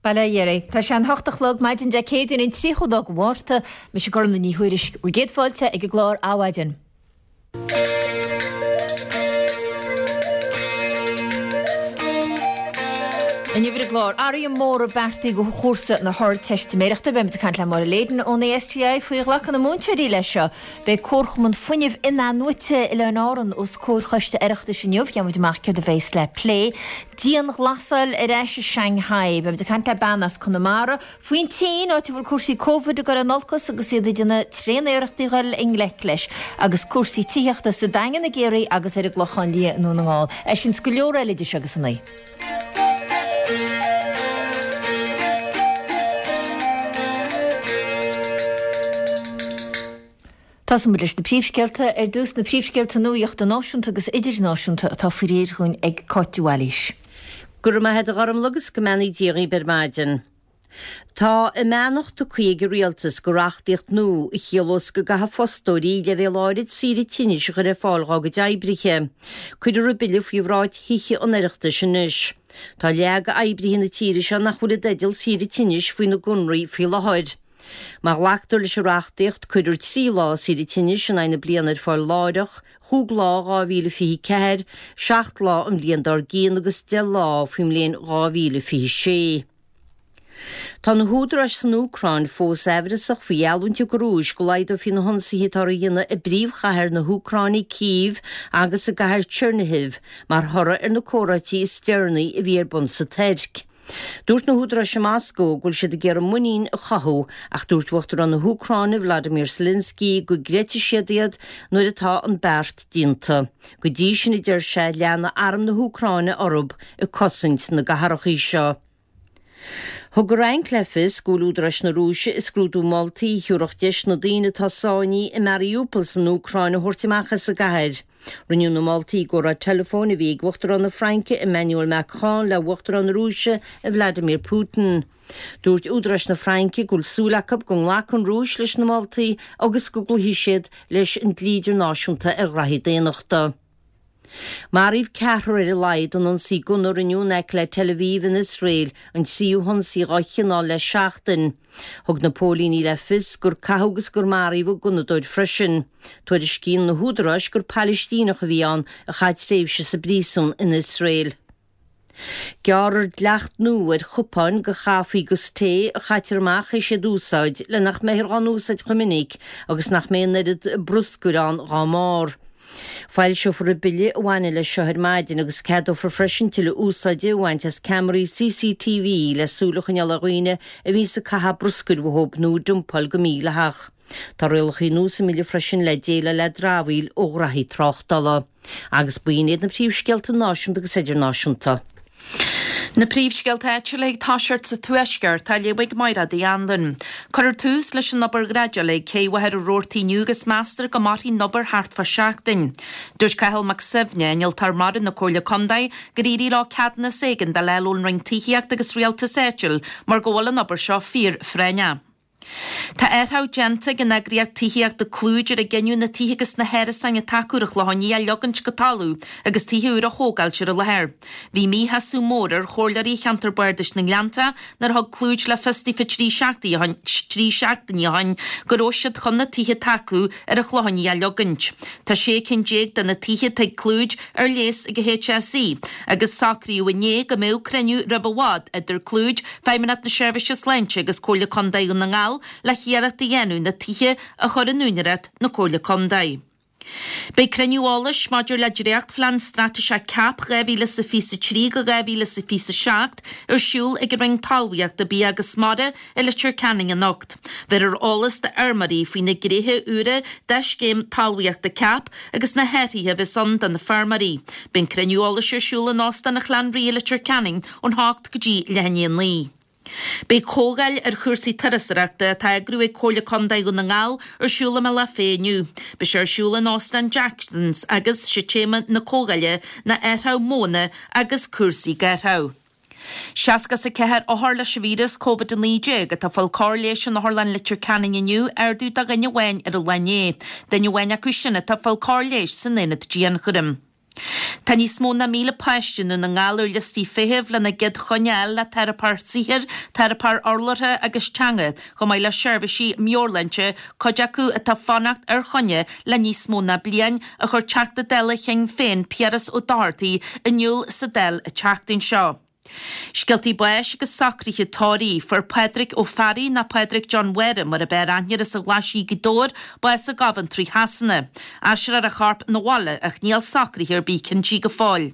Bail ó Dhia oraibh. Tá sé an hocht a chlog, maidin Dé Céadaoin an 30ú lá de Mhárta. Mise Gormlaith Ní Thuairisg. Bhur gcéad fáilte ag an gclár Adhmhaidin. Inniu ar an gclár, athruithe móra beartaithe do chúrsa na hArdteistiméireachta. Beimid ag caint le Máire Leyden ón ASTI faoi ghlacadh na múinteoirí leis seo. Beidh Comharchumann Fuinnimh In-athnuaite Oileáin Árann os comhair Choiste Oireachtais inniu. Gheobhaimid amach céard a bheas le plé. Dianghlasáil ar ais i Shanghai. Beimid ag caint le bean as Conamara faoin tSín, áit a bhfuil cúrsaí Covid ag dul in olcas agus iad ag déanamh tréaniarrachtaí a dhul i ngleic leis. Agus cúrsaí tithíochta sa Daingean i gCiarraí agus ar an gClochán Liath i nDún na nGall. É sin 's go leor eile idir seo agus a naoi. Tosóidh muid leis na príomhscéalta. Ar dtús, na príomhscéalta nuachta náisiúnta agus idirnáisiúnta atá faoi réir dhúinn ag Cáit de Bhailís. Go raibh maith agat a Ghormlaith agus go mbeannaí Dia dhaoibh ar maidin. Tá a mbeannacht tugtha ag an Rialtas go reachtaíocht nua a chiallós go gcaithfidh fostóirí leibhéal áirid saoire tinnis a chur ar fáil dhá gcuid oibrithe. Cuirfear an bille faoi bhráid Thithe an Oireachtais anois. Tá leath d'oibrithe na tíre seo nach bhfuil i dteideal saoire tinnis faoina gconraí faoi láthair. Má ghlactar leis an reachtaíocht, cuirfear 3 lá saoire tinnis in aghaidh na bliana ar fáil láithreach, chúig lá 2024, 7 lá an bhliain dár gcionn agus 10 lá faoin mbliain 2026. Tá na húdaráis san Úcráin fós aimhreasach faoi gheallúint thug an Rúis go laghdófaí na hionsaithe atáthar a dhéanamh i bpríomhchathair na hÚcráine, Cív, agus i gcathair Chernihiv mar thoradh ar na comhráití is deireanaí a bhí ar bun sa Tuirc. Dúirt na húdaráis i Moscó go bhfuil siad ag iarraidh muinín a chothú ach dúirt Uachtarán na hÚcráine Vladimir Zelensky go gcreidfidh siad iad nuair atá an beart déanta. Go dtí sin, a deir sé, leanfaidh arm na hÚcráine orthu ag cosaint na gcathracha seo. Thug an Fhrainc le fios go bhfuil údaráis na Rúise ag scrúdú moltaí a thabharfadh deis na daoine atá sáinnithe i Mariupol san Úcráin a thabhairt amach as an gcathair. Rinneadh na moltaí i gcomhrá teileafóin a bhí ag Uachtarán na Fraince Emmanuel Macron le Uachtarán na Rúise Vladimir Putin. Dúirt údaráis na Fraince go bhfuil súil acu go nglacfaidh an Rúis leis na moltaí agus go gcloífidh siad leis an dlí idirnáisiúnta ar ghraithí daonnachta. Maraíodh ceathrar ar a laghad in ionsaí gunna a rinneadh in aice le Tel Aviv in Iosrael, an tríú hionsaí dhá chineál le seachtain. Thug na póilíní le fios gur caitheadh agus gur maraíodh an gunnadóir freisin. Tuairiscíonn na húdaráis gur Palaistíneach a bhí ann a chaith tréimhse sa bpríosún in Iosrael. Gearrfar dleacht nua ar chupáin do chaife agus tae a chaitear amach théis iad a úsáid le nach mbeifear dhá n-úsáid chomh minic agus nach mbeidh an oiread bruscair ann dhá mbarr. Foilseofar an bille a bhaineann leis seo ar maidin agus ceadófar freisin tuilleadh úsáide a bhaint as ceamaraí CCTV le súil a choinneáil ar dhaoine a bhíonns ag caitheamh bruscair uathub nó ag dumpáil go mídhleathach. Tá rialacha nua sa mbille freisin le déileáil le dramhaíl ó ghraithí tráchtála. Agus b'in iad na príomhscéalta náisiúnta agus idirnáisiúnta. Na príomhscéalta áitiúla ag toiseacht sa Tuaisceart, á léamh ag Mairéad Uí Anluain. Cuirfear tús leis an obair dhreideála ag Cé Mhachaire Rabhartaigh inniu agus meastar go mairfidh an obair thart fá seachtain. Dúirt Cathal Mac Suibhne, Innealtóir Mara na Comhairle Contae, gur éirigh leo ceadúnas éigeandála a fháil ón Roinn Tithíochta agus Rialtais Áitiúil mar go bhfuil an obair seo fíor-phráinneach. Tá athraitheach déanta ag an eagraíocht tithíochta Clúid ar a gcinneadh na tithe agus na hárasáin atá acu ar an Chlochán Liath a leogaint go talamh agus tithe úra a thógáilt ar an láthair. Bhí míshásamh mór ar chomhairleoirí cheantar bardais na nGleannta nuair a thug Clúid le fios daofa trí seachtainí ó shin go raibh siad chun na tithe atá acu ar an Chlochán Liath a leogaint. Tá 16 cinn de na tithe atá ag Clúid ar léas ag an HSE agus socraíodh inné go mbeadh cruinniú roimh i bhfad idir Clúid, Feidhmeannacht na Seirbhíse Sláinte agus Comhairle Contae Dhún na nGall le hiarracht a dhéanamh na tithe a chur in úinéireacht na Comhairle Contae. Beidh cruinniú eolais maidir le dréachtphlean straitéiseach CAP 2023-2027 ar siúl ag an Roinn Talmhaíochta, Bia agus Mara i Leitir Ceanainn anocht. Bhéarfar eolas d'fheirmeoirí faoi na gnéithe úra de scéim talmhaíochta CAP agus na hathruithe a bheas ann do na feirmeoirí. Beidh an cruinniú eolais ar siúl in Óstán an Chlann Rí i Leitir Ceanainn ón hocht go dtí leath i ndiaidh a 9. Beidh comhdháil ar chúrsaí turasóireachta atá á eagrú ag Comhairle Contae Dhún na nGall ar siúl i mBealach Féich inniu. Beidh sé ar siúl in Óstán Jacksons agus sé téama na comhdháile ná athraitheach modhanna agus cúrsaí gáthrach. 64 othar leis an víreas Covid-19 atá ag fáil cóir leighis in Otharlann Leitir Ceanainn inniu, ardú de dhuine amháin ar an lá inné. Duine amháin acu sin atá ag fáil cóir leighis san aonad dianchúraim. Tá níos mó ná 1,000 páiste i nDún na nGall ar liostaí feithimh lena gcéad choinne a fháil le teiripeoir saothair, teiripeoir urlabhra agus teanga, chomh maith le seirbhísí meabhairshláinte, cuid acu atá ag fanacht ar choinne le níos mó ná bliain, a chuir Teachta Dála Shinn Féin Piaras Ó Dochartaigh in iúl sa Dáil an tseachtain seo. Scéaltaí báis agus socruithe tórraimh. Fuair Pádraig Ó Fearraigh, nó Pádraig John Mháire mar ab fhearr aithne air as an Ghlaisigh Gaoth Dobhair, bás i gCoventry Shasana. Aistreofar a chorp 'na bhaile ach níl socruithe ar bith cinntí go fóill.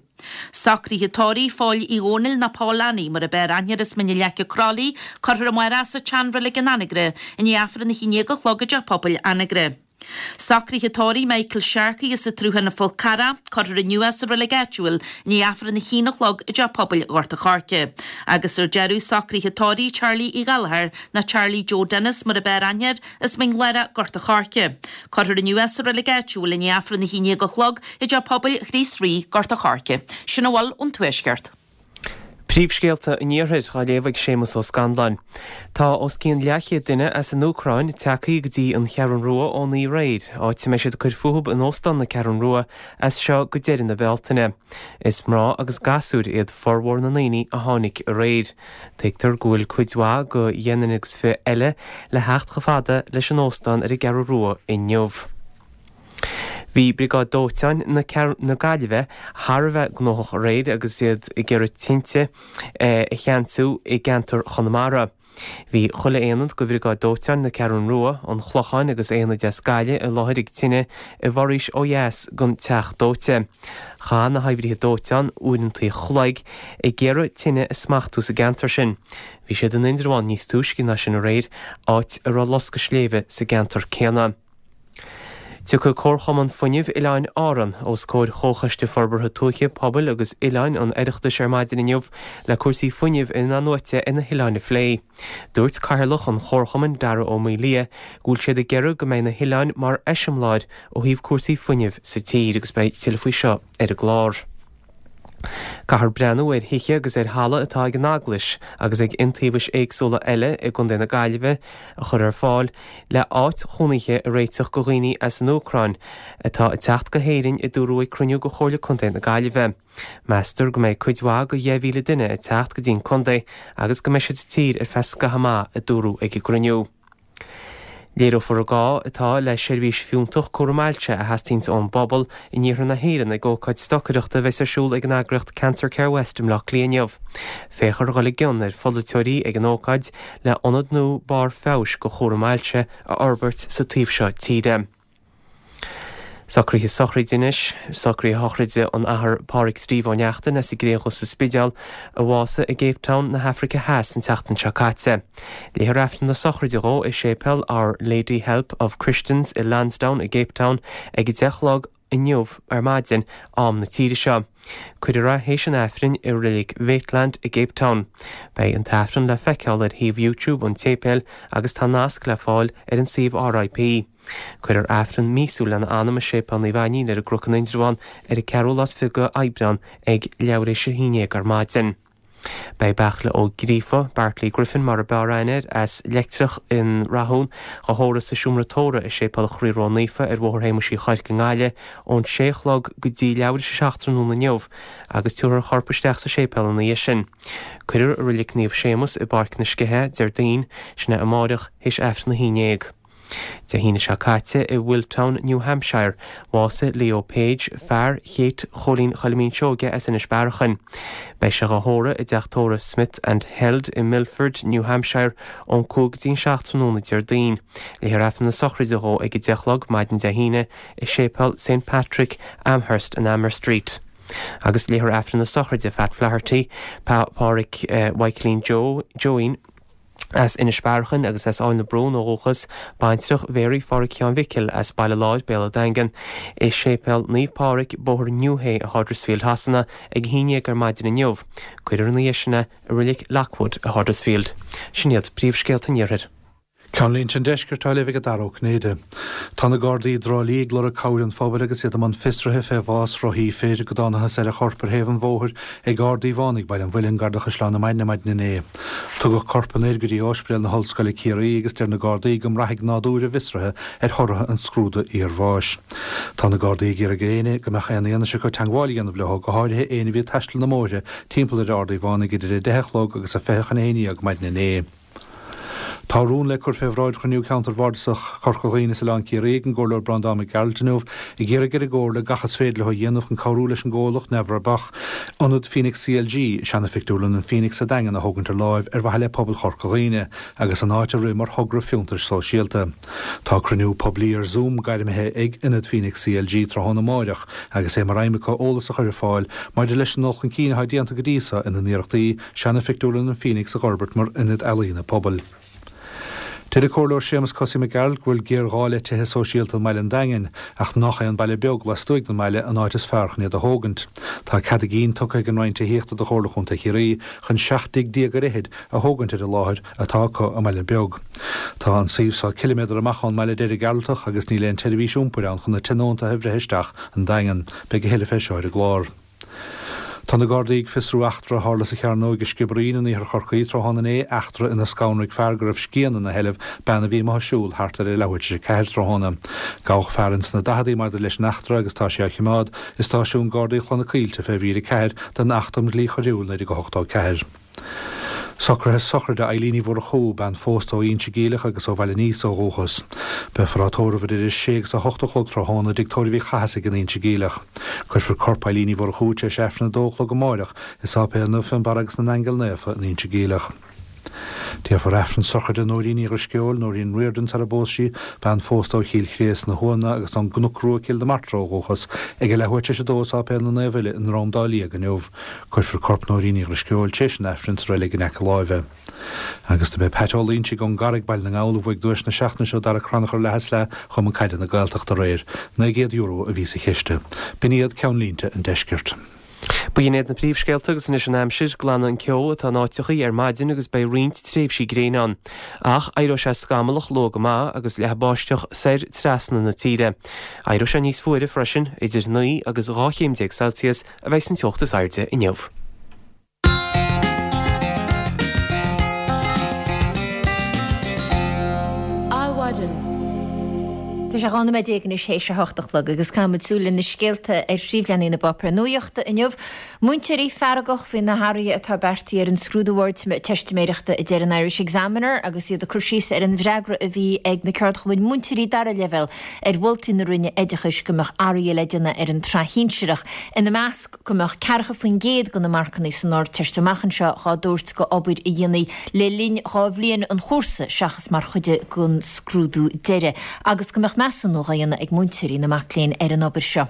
Socruithe tórraimh Phóil Uí Dhónaill nó Pól Annie mar ab fhearr aithne air as Mín na Leice Crolly, cuirfear amárach sa tSeanreilig in Anagaire i ndiaidh Aifreann a 11 a chlog i dTeach Pobail Anagaire. Socruithe tórraimh Michael Sharkey as an tSruthán an Fhál Carrach, cuirfear inniu é sa reilig áitiúil i ndiaidh Aifreann a haon a chlog i dTeach Pobail Ghort a' Choirce. Agus ar deireadh, socruithe tórraimh Charlie Uí Ghallchóir nó Charlie Joe Dennis mar ab fhearr aithne air, as Mín Lárach, Gort a' Choirce. Cuirfear inniu é sa reilig áitiúil i ndiaidh Aifreann a haon déag a chlog i dTeach Pobail Chríost Rí, Gort a' Choirce. Sin a bhfuil ón Tuaisceart. Príomhscéalta an Iarthair á léamh ag Séamus Ó Scanláin. Tá os cionn leathchéad duine as an Úcráin tagtha go dtí an Cheathrún Rua ón aréir, áit a mbeidh siad ag cur fúthu in Óstán na Ceathrún Rua as seo go deireadh na Bealtaine. Is mná agus gasúir iad formhór na ndaoine a tháinig aréir. Tuigtear go bhfuil cuid mhaith de dheich nduine agus fiche eile le theacht chomh fada leis an óstán ar an gCeathrú Rua inniu. Bhí Briogáid Dóiteáin na Gaillimhe thar a bheith gnóthach aréir agus iad ag iarraidh tinte a cheansú i gceantar Chonamara. Bhí chuile aonad de Bhriogáid Dóiteáin na Ceathrún Rua, an Chlocháin agus aonaid as Gaillimh i láthair ag tine i bhforaois ó dheas den teach dóite. Chaith na hoibrithe dóiteáin uaireanta an chloig ag iarraidh tine a smachtú sa gceantar sin. Bhí siad in Indreabhán níos túisce ná sin aréir, áit a raibh loscadh sléibhe sa gceantar céanna. Tiocfaidh Comharchumann Fuinnimh Oileáin Árann os comhair Chomhchoiste Forbartha Tuaithe, Pobail agus Oileáin an Oireachtais ar maidin inniu le cúrsaí fuinnimh in-athnuaite ar na hoileáin a phlé. Dúirt Cathaoirleach an Chomharchumainn, Dara Ó Maolaodha, go bhfuil siad ag iarraidh go mbeidh na hoileáin mar eiseamláir ó thaobh cúrsaí fuinnimh sa tír agus beidh tuilleadh faoi seo ar an gclár. Caithfear breathnú ar thithe agus ar thalamh atá ag an Eaglais agus ag iontaobhais éagsúla eile i gContae na Gaillimhe a chur ar fáil le áit chónaithe a réiteach go dhaoine as an Úcráin atá ag teacht go hÉirinn a dúradh ag cruinniú de Chomhairle Contae na Gaillimhe. Meastar go mbeidh cuid mhaith de 10,000 duine ag teacht go dtí an contae agus go mbeidh siad sa tír ar feadh scaitheamh maith, a dúradh ag an gcruinniú. Léireofar an gá atá le seirbhís fiúntach cúram ailse a theastaíonns ón bpobal in iarthar na hÉireann ag ócáid stocaireachta a bheas ar siúl ag an eagraíocht Cancer Care West i mBleá Cliath inniu. Féachfar a dhul i gcion ar pholaiteoirí ag an ócáid le ionad nua barr feabhais do chúram ailse a fhorbairt sa taobh seo tíre. Socruithe sochraide anois. Socruithe sochraide an Athar Pádraig Steve Ó Neachtain as an gCré Dhubh sa Spidéal, a bhásaigh i gCape Town na hAfraice Theas an tseachtain seo caite. Léifear Aifreann na sochraide dhó i Séipéal Our Lady Help of Christians i Lansdowne i gCape Town ag 10 a chlog inniu ar maidin, am na tíre seo. Cuirfear é théis an Aifrinn i Reilig Maitland i gCape Town. Beidh an tAifreann le feiceáil ar shuíomh YouTube an tséipéil agus tá nasc le fáil ar an suíomh RIP. Cuirfear Aifreann míosúil lena anam i Séipéal Naomh Ainnín ar an gCnoc in Indreabhán ar an ceathrú lá is fiche de Aibreán ag leathuair théis a haon déag ar maidin. Beidh Beartla Ó Gríofa, Bartley Griffin mar a b'fhearr aithne air, as Leictreach in Rathún, dhá thórramh sa seomra tórraimh i Séipéal an Chroí Ró-Naofa ar Bhóthar Shéamuis Uí Chuirc i nGaillimh ón sé a chlog go dtí leathuair théis a 7 tráthnóna inniu agus tabharfar a chorp isteach sa séipéal ina dhiaidh sin. Cuirfear i Reilig Naomh Séamus i bPáirc na Sceiche Déardaoin, sin é amáireach, théis Aifreann a haon déag. Dé hAoine seo caite i Wiltown, New Hampshire, bhásaigh Leo Page, fear Chéit Chóilín Choilimín Seoige as Inis Bearachain. Beidh sé dhá thórramh i dteach tórraimh Smith and Held i Milford, New Hampshire ón 5 go dtí an 7 tráthnóna Déardaoin. Léifear Aifreann na sochraide dhó ag 10 a chlog maidin Dé hAoine i Séipéal St Patrick, Amherst in Amherst Street. Agus léifear Aifreann na sochraide Phat Flaherty, Pádhraic Mhichaelín Joe, Joeín, as Inis Bearachain agus as Áill na Brún ó dhúchas, baintreach Mhéaraí Phádhraic Sheáin Mhicil as Baile Láir, Béal an Daingin, i Séipéal Naomh Pádraig, Bóthar New Hey i Huddersfield Shasana ag a haon dhéag ar maidin inniu. Cuirfear ina dhiaidh sin é i Reilig Lockwood i Huddersfield. Sin iad príomhscéalta an Iarthair. Ceannlínte an Deiscirt á léamh ag Dara Ó Cinnéide. Tá na Gardaí i dTrá Lí ag lorg cabhair an phobail agus iad i mbun fiosraithe fé bhás rothaí fir go dtánathas ar a chorp ar thaobh an bhóthair ag Ard Uí Mhaonaigh, Baile an Mhuilinn, gar do Chaisleán na Maidne maidin inné. Tugadh corp an fhir go dtí Ospidéal na hOllscoile Ciarraí agus deir na Gardaí go mbraithfidh nádúr an bhfiosraithe ar thortha an scrúdaithe iarbháis. Tá na Gardaí ag iarraidh ar éinne go mbeadh aon fhianaise acu teangmháil a dhéanamh leo, go háirithe éinne a bhí ag taisteal na mbóithre timpeall ar Ard Uí Mhaonaigh idir a 10 a chlog agus a 10:40 maidin inné. Tá rún le cur fé bhráid chruinniú Ceantair Bhardasach Chorca Dhuibhne is Oileán Ciarraí ag an gComhairleoir Breandán Mac Gearailt inniu ag iarraidh ar an gComhairle gach is féidir leo a dhéanamh chun cabhrú leis an gcomhlacht neamhbhrabach Ionad Phoenix CLG, seana-phictiúrlann an Phoenix sa Daingean a thógaint ar láimh ar mhaithe le pobal Chorca Dhuibhne agus an áit a rith mar thogra fiontair sóisialta. Tá cruinniú poiblí ar Zoom gairmithe ag Ionad Phoenix CLG tráthnóna amáireach agus é mar aidhm acu eolas a chur ar fáil maidir leis an dul chun cinn atá déanta go dtí so ina n-iarrachtaí Seana-phictiúrlann an Phoenix a dh'fhorbairt mar ionad ealaíona pobail. Deir an Comhairleoir Séamus Cosaí Mac Gearailt go bhfuil géarghá le tithe sóisialta i mbaile an Daingin, ach nách é an baile beag lastuaidh den mbaile an áit is fearr chun iad a thógaint. Tá cead a gcinn tugtha ag an Roinn Tithíochta do Chomhairle Chontae Chiarraí chun 17 dtigh ar fhichid a thógaint ar an láthair atá acu i mBaile Beag. Tá an suíomh so ciliméadar amach ón mbaile a deir an Gearaltach agus níl aon tseirbhís iompair ann chun na tionóntaithe a bhreith isteach an Daingean. Beidh a thuilleadh fé seo ar an gclár. Tá na Gardaí ag fiosrú eachtra a tharla sa Chearnóig i Sciobairín in iarthar Chorcaí tráthnóna inné, eachtra inar scanraigh fear go raibh scian ina sheilbh bean a bhí amuigh ag siúl thart ar a leathuair tar éis a ceathair tráthnóna. Gabhadh fear ins na daicheadaí maidir leis an eachtra agus tá sé á choimeád i stáisiún Gardaí Chloich na Coillte fé mhír 4 den Acht um Dhlí Choiriúil 1984. Socruithe sochraide Eilín Uí Mhurchú, bean phósta ó Inse Geimhleach agus ó Bhaile an Íosa ó dhúchas. Beifear á tórramh idir a sé agus a hocht a chlog tráthnóna i dTigh Tórraimh Uí Chathasaigh in Inse Geimhleach. Cuirfear corp Eilín Uí Mhurchú tar éis Aifreann a dó a chlog amáireach i Sáipéal Naomh Fionnbarra agus na nAingeal Naofa in Inse Geimhleach. Déarfar Aifreann sochraide Nóirín Uí Dhrisceoil, Nóirín Riordan sar a bpós sí, bean phósta ó Chill Chréas na Thuamhna agus ón gCnoc Rua Cill na Martra ó dhúchas, ag a leathuair tar éis a dó i Sáipéal na Naomh Uile i nDrom Dá Liag inniu. Cuirfear corp Nóirín Uí Dhrisceoil tar éis an Aifrinn sa reilig in aice láimhe. Agus do b'é Pat Ó Loingsigh ón gCarraig, Baile na nGall, a bhuaigh duais na seachtaine seo Dara Crannchur Leath is Leath Chumann Caide na Gaeltachta aréir. €900 a bhí sa chiste. B'in iad ceannlínte an deiscirt. B'in iad na príomhscéalta agus anois an aimsir, glanfaidh an ceo atá in áiteachaí ar maidin agus beidh roinnt tréimhsí gréine ann. Ach éireoidh sé scamallach luath go maith agus leathfaidh báisteach soir trasna na tíre. Éireoidh sé níos fuaire freisin, idir 9 agus 12 chéim Celsius a bheidh san teocht is airde inniu. Adhmhaidin. Tá sé 12 nóiméad anois théis a hocht a chlog agus caithfimid súil ar na scéalta ar phríomhleathanaigh na bpáipéar nuachta inniu. Múinteoirí feargach faoi na hathruithe atá beartaithe ar an scrúdú Ardteistiméireachta a deir an Irish Examiner agus iad ag cur síos ar an bhfreagra a bhí ag na ceardchumainn múinteoirí dara leibhéal ar mholtaí na Roinne Oideachais go mbeadh athruithe le déanamh ar an tsraith shinsearach, ina measc go mbeadh 40% de na marcanna san Ardteist amach anseo dhá dtabhairt go obair a dhéanamh le linn dhá bhliain an chúrsa seachas mar chuid den scrúdú deiridh, agus go mbeadh measúnú dhá dhéanamh ag múinteoirí na mac léinn ar an obair seo.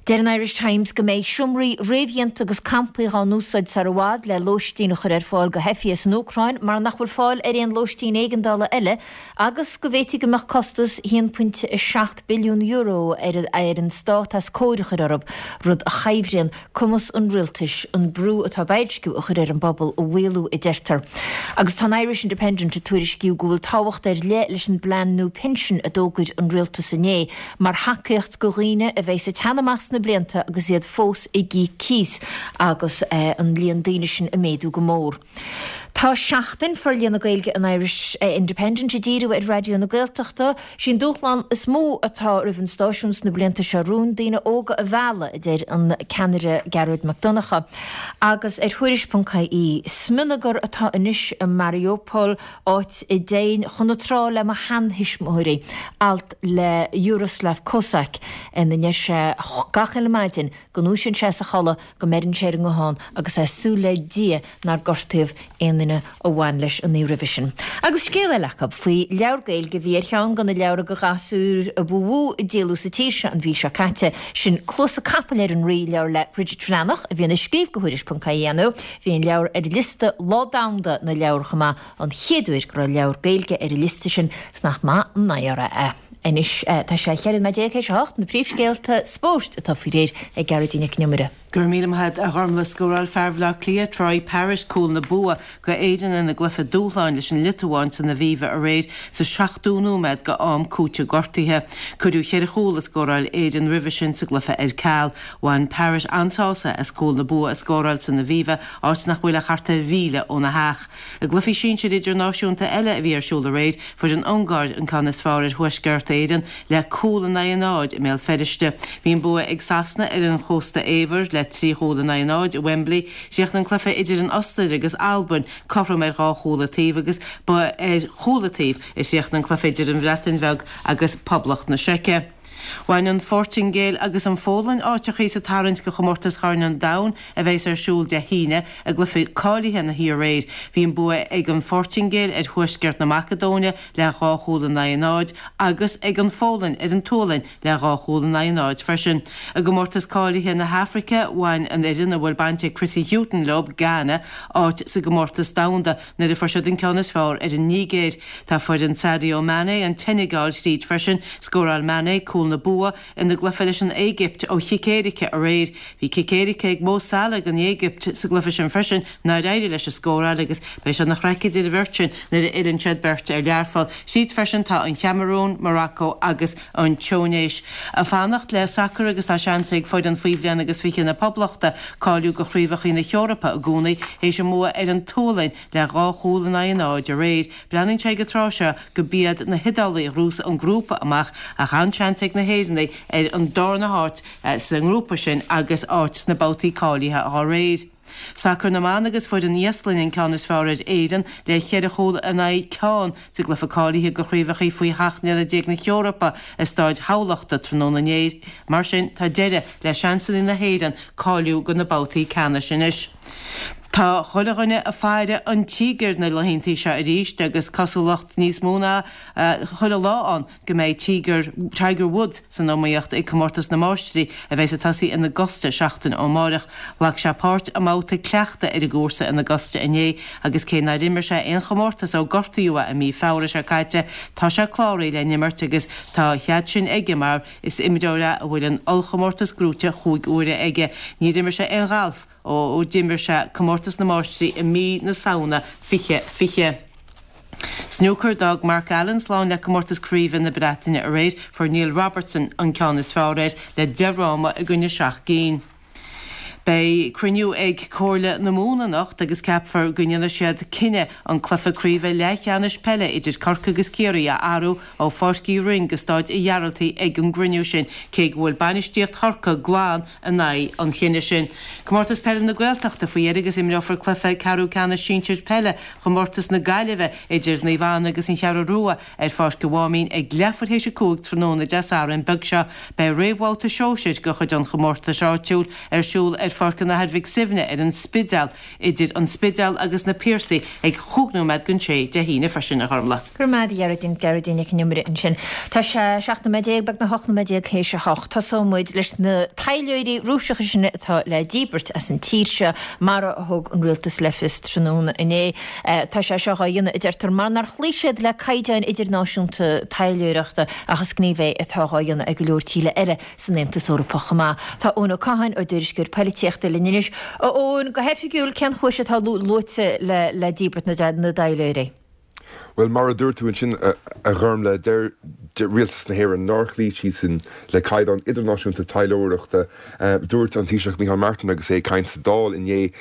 Deir an Irish Times go mbeidh seomraí réamhdhéanta agus campaí dhá n-úsáid sar i bhfad le lóistín a chur ar fáil go theifigh as an Úcráin mar nach bhfuil fáil ar aon lóistín éigeandála eile agus go bhféadfaidh go mbeadh costas €1.7 billiún ar an stát as cóir a chur orthu, rud a shaibhríonn cumas an rialtais an brú atá boilsciú a chur ar an bpobal a mhaolú, a deirtear. Agus tá an Irish Independent ag tuairisciú go bhfuil tábhacht ar leith leis an bplean nua pinsin a d'fhógair an rialtas inné mar thacaíocht go dhaoine a bheidh ag teannadh amach sna blianta agus iad fós ag íoc cíos agus an líon daoine sin ag méadú go mór. Tá Seachtain Forlíonadh na Gaeilge an Irish Independent ag díriú ar Raidió na Gaeltachta. Sí an dúshlán is mó atá roimh an stáisiún sna blianta seo romhainn, daoine óga a mhealladh, a deir an ceannaire Gearóid Mac Donncha. Agus ar Thuairisc.ie, Smionagar atá anois i Mariupol, áit a dtéinn chun na trá le mo sheantuismitheoirí, alt le Yaroslav Kozak ina ndeir sé gach uile maidin go ndúisíonn sé as a chodladh go mbeireann sé ar an nguthán agus é ag súil le Dia nár gortaíodh aon duine a bhain leis an oíche roimhe sin. Agus scéal eile acu faoi leabhar Gaeilge a bhí ar cheann de na leabhra do ghasúir a ba mhó a díoladh sa tír seo an mhí seo caite, sin Cluasa Capaill ar an Rí, leabhar le Bridget Bhreathnach, a bhíonn ag scríobh do Thuairisc.ie nó bhí an leabhar ar liosta Lá Domhanda na Leabhar chomh maith, an chéad uair go raibh leabhar Gaeilge ar an liosta sin, 's nach maith an onóir é. Anois tá sé 14 nóiméad théis a hocht, na príomhscéalta spóirt atá faoi réir ag Gearóidín Nic an Iomaire. Go raibh míle maith agat, a Ghormlaith. Scóráil fear Bhaile Átha Cliath, Troy Parrott, cúl na bua go Éirinn ina gcluiche dúshláin leis an Liotuáin san Aviva aréir sa seachtú nóiméad go am cúiteamh gortaithe. Cuireadh cheithre chúl a scóráil Éirinn roimhe sin sa gcluiche ar ceal. Bhain Parrott an-sásamh as cúl na bua a scóráil san Aviva, áit nach bhfuil ach thart ar mhíle óna theach. I gcluichí sinsir idirnáisiúnta eile a bhí ar siúl aréir, fuair an Ungáir an ceann is fearr ar Thuaisceart Éireann le cúl in aghaidh a náid i mBéal Feirste. Bhí an bua ag Sasana ar an Chósta Eabhair le 3 chúl in aghaidh a náid i Wembley. Chríochnaigh an cluiche idir an Ostair agus Albain cothrom ar dhá chúl an taobh agus ba ar chúl an taobh a chríochnaigh an cluiche idir an Bhreatain Bheag agus Poblacht na Seice. Bhain an Phortaingéil agus an Pholainn áiteachaí sa tarraingt go Chomórtas Chorn an Domhain a bheas ar siúl Dé hAoine i gcluiche cáilithe na hiarréir. Bhí an bua ag an Phortaingéil ar Thuaisceart na Macadóine le 2 chúl in aghaidh a 0 agus ag an Pholainn ar an tSualainn le 2 chúl in aghaidh a 0 freisin. I gcomórtas cáilithe na hAfraice, bhain an fhoireann a bhfuil baint ag Chrissy Hughton leo, Ghana, áit sa gcomórtas domhanda nuair a fuair siad an ceann is fearr ar an Nigéir. Tá foireann Sadio Mané, an tSeineagáil, tríd freisin. Scóráil Mané cúl na bua ina gcluiche leis an Éigipt ó chic éirice aréir. Bhí cic éirice ag Mo Salah don Éigipt sa gcluiche sin freisin nár éirigh leis a scóráil agus beidh sé ina chraic idir an bheirt sin nuair a fhilleann siad beirt ar Learpholl. Tríd freisin tá an Chamarún, Morocco agus an Túinéis. Ag fanacht le sacar agus tá seans ag foireann faoi bhliain agus 20 na Poblachta cáiliú go Chraobhacha na hEorpa i gcónaí théis a mbua ar an tSualainn le 2 chúl in aghaidh a 0 aréir. Breathnaíonn sé ag an tráth seo go b'iad na hIodálaigh a ghnóthós an grúpa amach ach an-seans ag na hÉireannaigh ar an darna háit sa ngrúpa sin agus áit sna babhtaí cáilithe dá réir. Sacar na mban agus fuair an Íoslainn an ceann is fearr ar Éirinn le cheithre chúl in aghaidh ceann sa gcluiche cáilithe go Chraobhacha faoi sheacht mbliana déag na hEorpa i Stáid Thamhlachta tráthnóna inné. Mar sin tá deireadh le seansanna na hÉireann cáiliú go na babhtaí ceannais anois. Tá chuile dhuine ag faire an tíogair na laethanta seo arís agus cosúlacht níos mó ná chuile lá ann go mbeidh Tíogar, Tiger Woods, san iomaíocht ag Comórtas na Máistrí a bheas ag tosaí in Augusta seachtain ó amárach. Ghlac sé páirt i mbabhta cleachtaidh ar an gcúrsa in Augusta inné agus cé nár imir sé aon chomórtas ó gortaíodh é i mí Feabhra seo caite, tá sé cláraithe le n-imirt agus tá a chead sin aige mar is imreoir é a bhfuil an ollchomórtas gnóite chúig uaire aige. Níor imir sé aon ghalf ó d'imir sé Comórtas na Máistrí i mí na Samhna 2020. Snúcar, D'fhág Mark Allen slán le Comórtas Craoibhe na Breataine aréir. Fuair Neil Robertson an ceann is fearr air le 10 fhráma i gcoinne 7 gcinn. Beidh cruinniú ag Comhairle na Mumhan anocht agus ceapfar go ndéanfaidh siad cinneadh an cluiche craoibhe leathcheannais peile idir Corcaigh agus Ciarraí a athrú ó Pháirc Uí Rinn go Stáid a' Ghearaltaigh ag an gcruinniú sin, cé go bhfuil bainistíocht Chorcaí glan in aghaidh an chinnidh sin. Comórtas Peile na Gaeltachta faoi dheireadh agus imreofar cluiche ceathrú ceannais sinsir peile Chomórtas na Gaillimhe idir Naomh Anna agus an Cheathrú Rua ar Pháirc an Mháimín ag leathuair théis 5 tráthnóna Dé Sathairn beag seo. Beidh réamhbhabhta sóisir de chuid an chomórtais áitiúil ar siúl ar Pháirc an Athar Mhic Suibhne ar an Spidéal idir an Spidéal agus na Piarsaigh ag chúig nóiméad don sé Dé hAoine freisin, a Ghormlaith. Go raibh maith agat, a Ghearóidín, Gearóidín Nic an Iomaire ansin. Tá sé 17 nóiméad, beagnach 18 nóiméad théis a hocht. Tosóidh muid leis na taidhleoirí Rúiseacha sin atá le díbirt as an tír seo, mar a thug an rialtas le fios tráthnóna inné. Tá sé seo dhá dhéanamh, a deirtear, mar nár chloígh siad le caighdeáin idirnáisiúnta taidhleoireachta ach is gníomh é atá dhá dhéanamh ag go leor tíortha eile san Aontas Eorpach chomh maith. Tá Eoin Ó Catháin, ár dtuairisceoir poilitíochta, linn anois. A Eoin, go hoifigiúil, cén chúis atá luaite le díbirt na dtaidhleoirí? Bhuel, mar a dúirt tú ansin, a Ghormlaith, deir Rialtas na hÉireann nár chloígh siadsan le caighdeáin idirnáisiúnta taidhleoireachta. Dúirt an Taoiseach Micheál Martin agus é ag caint sa Dáil inné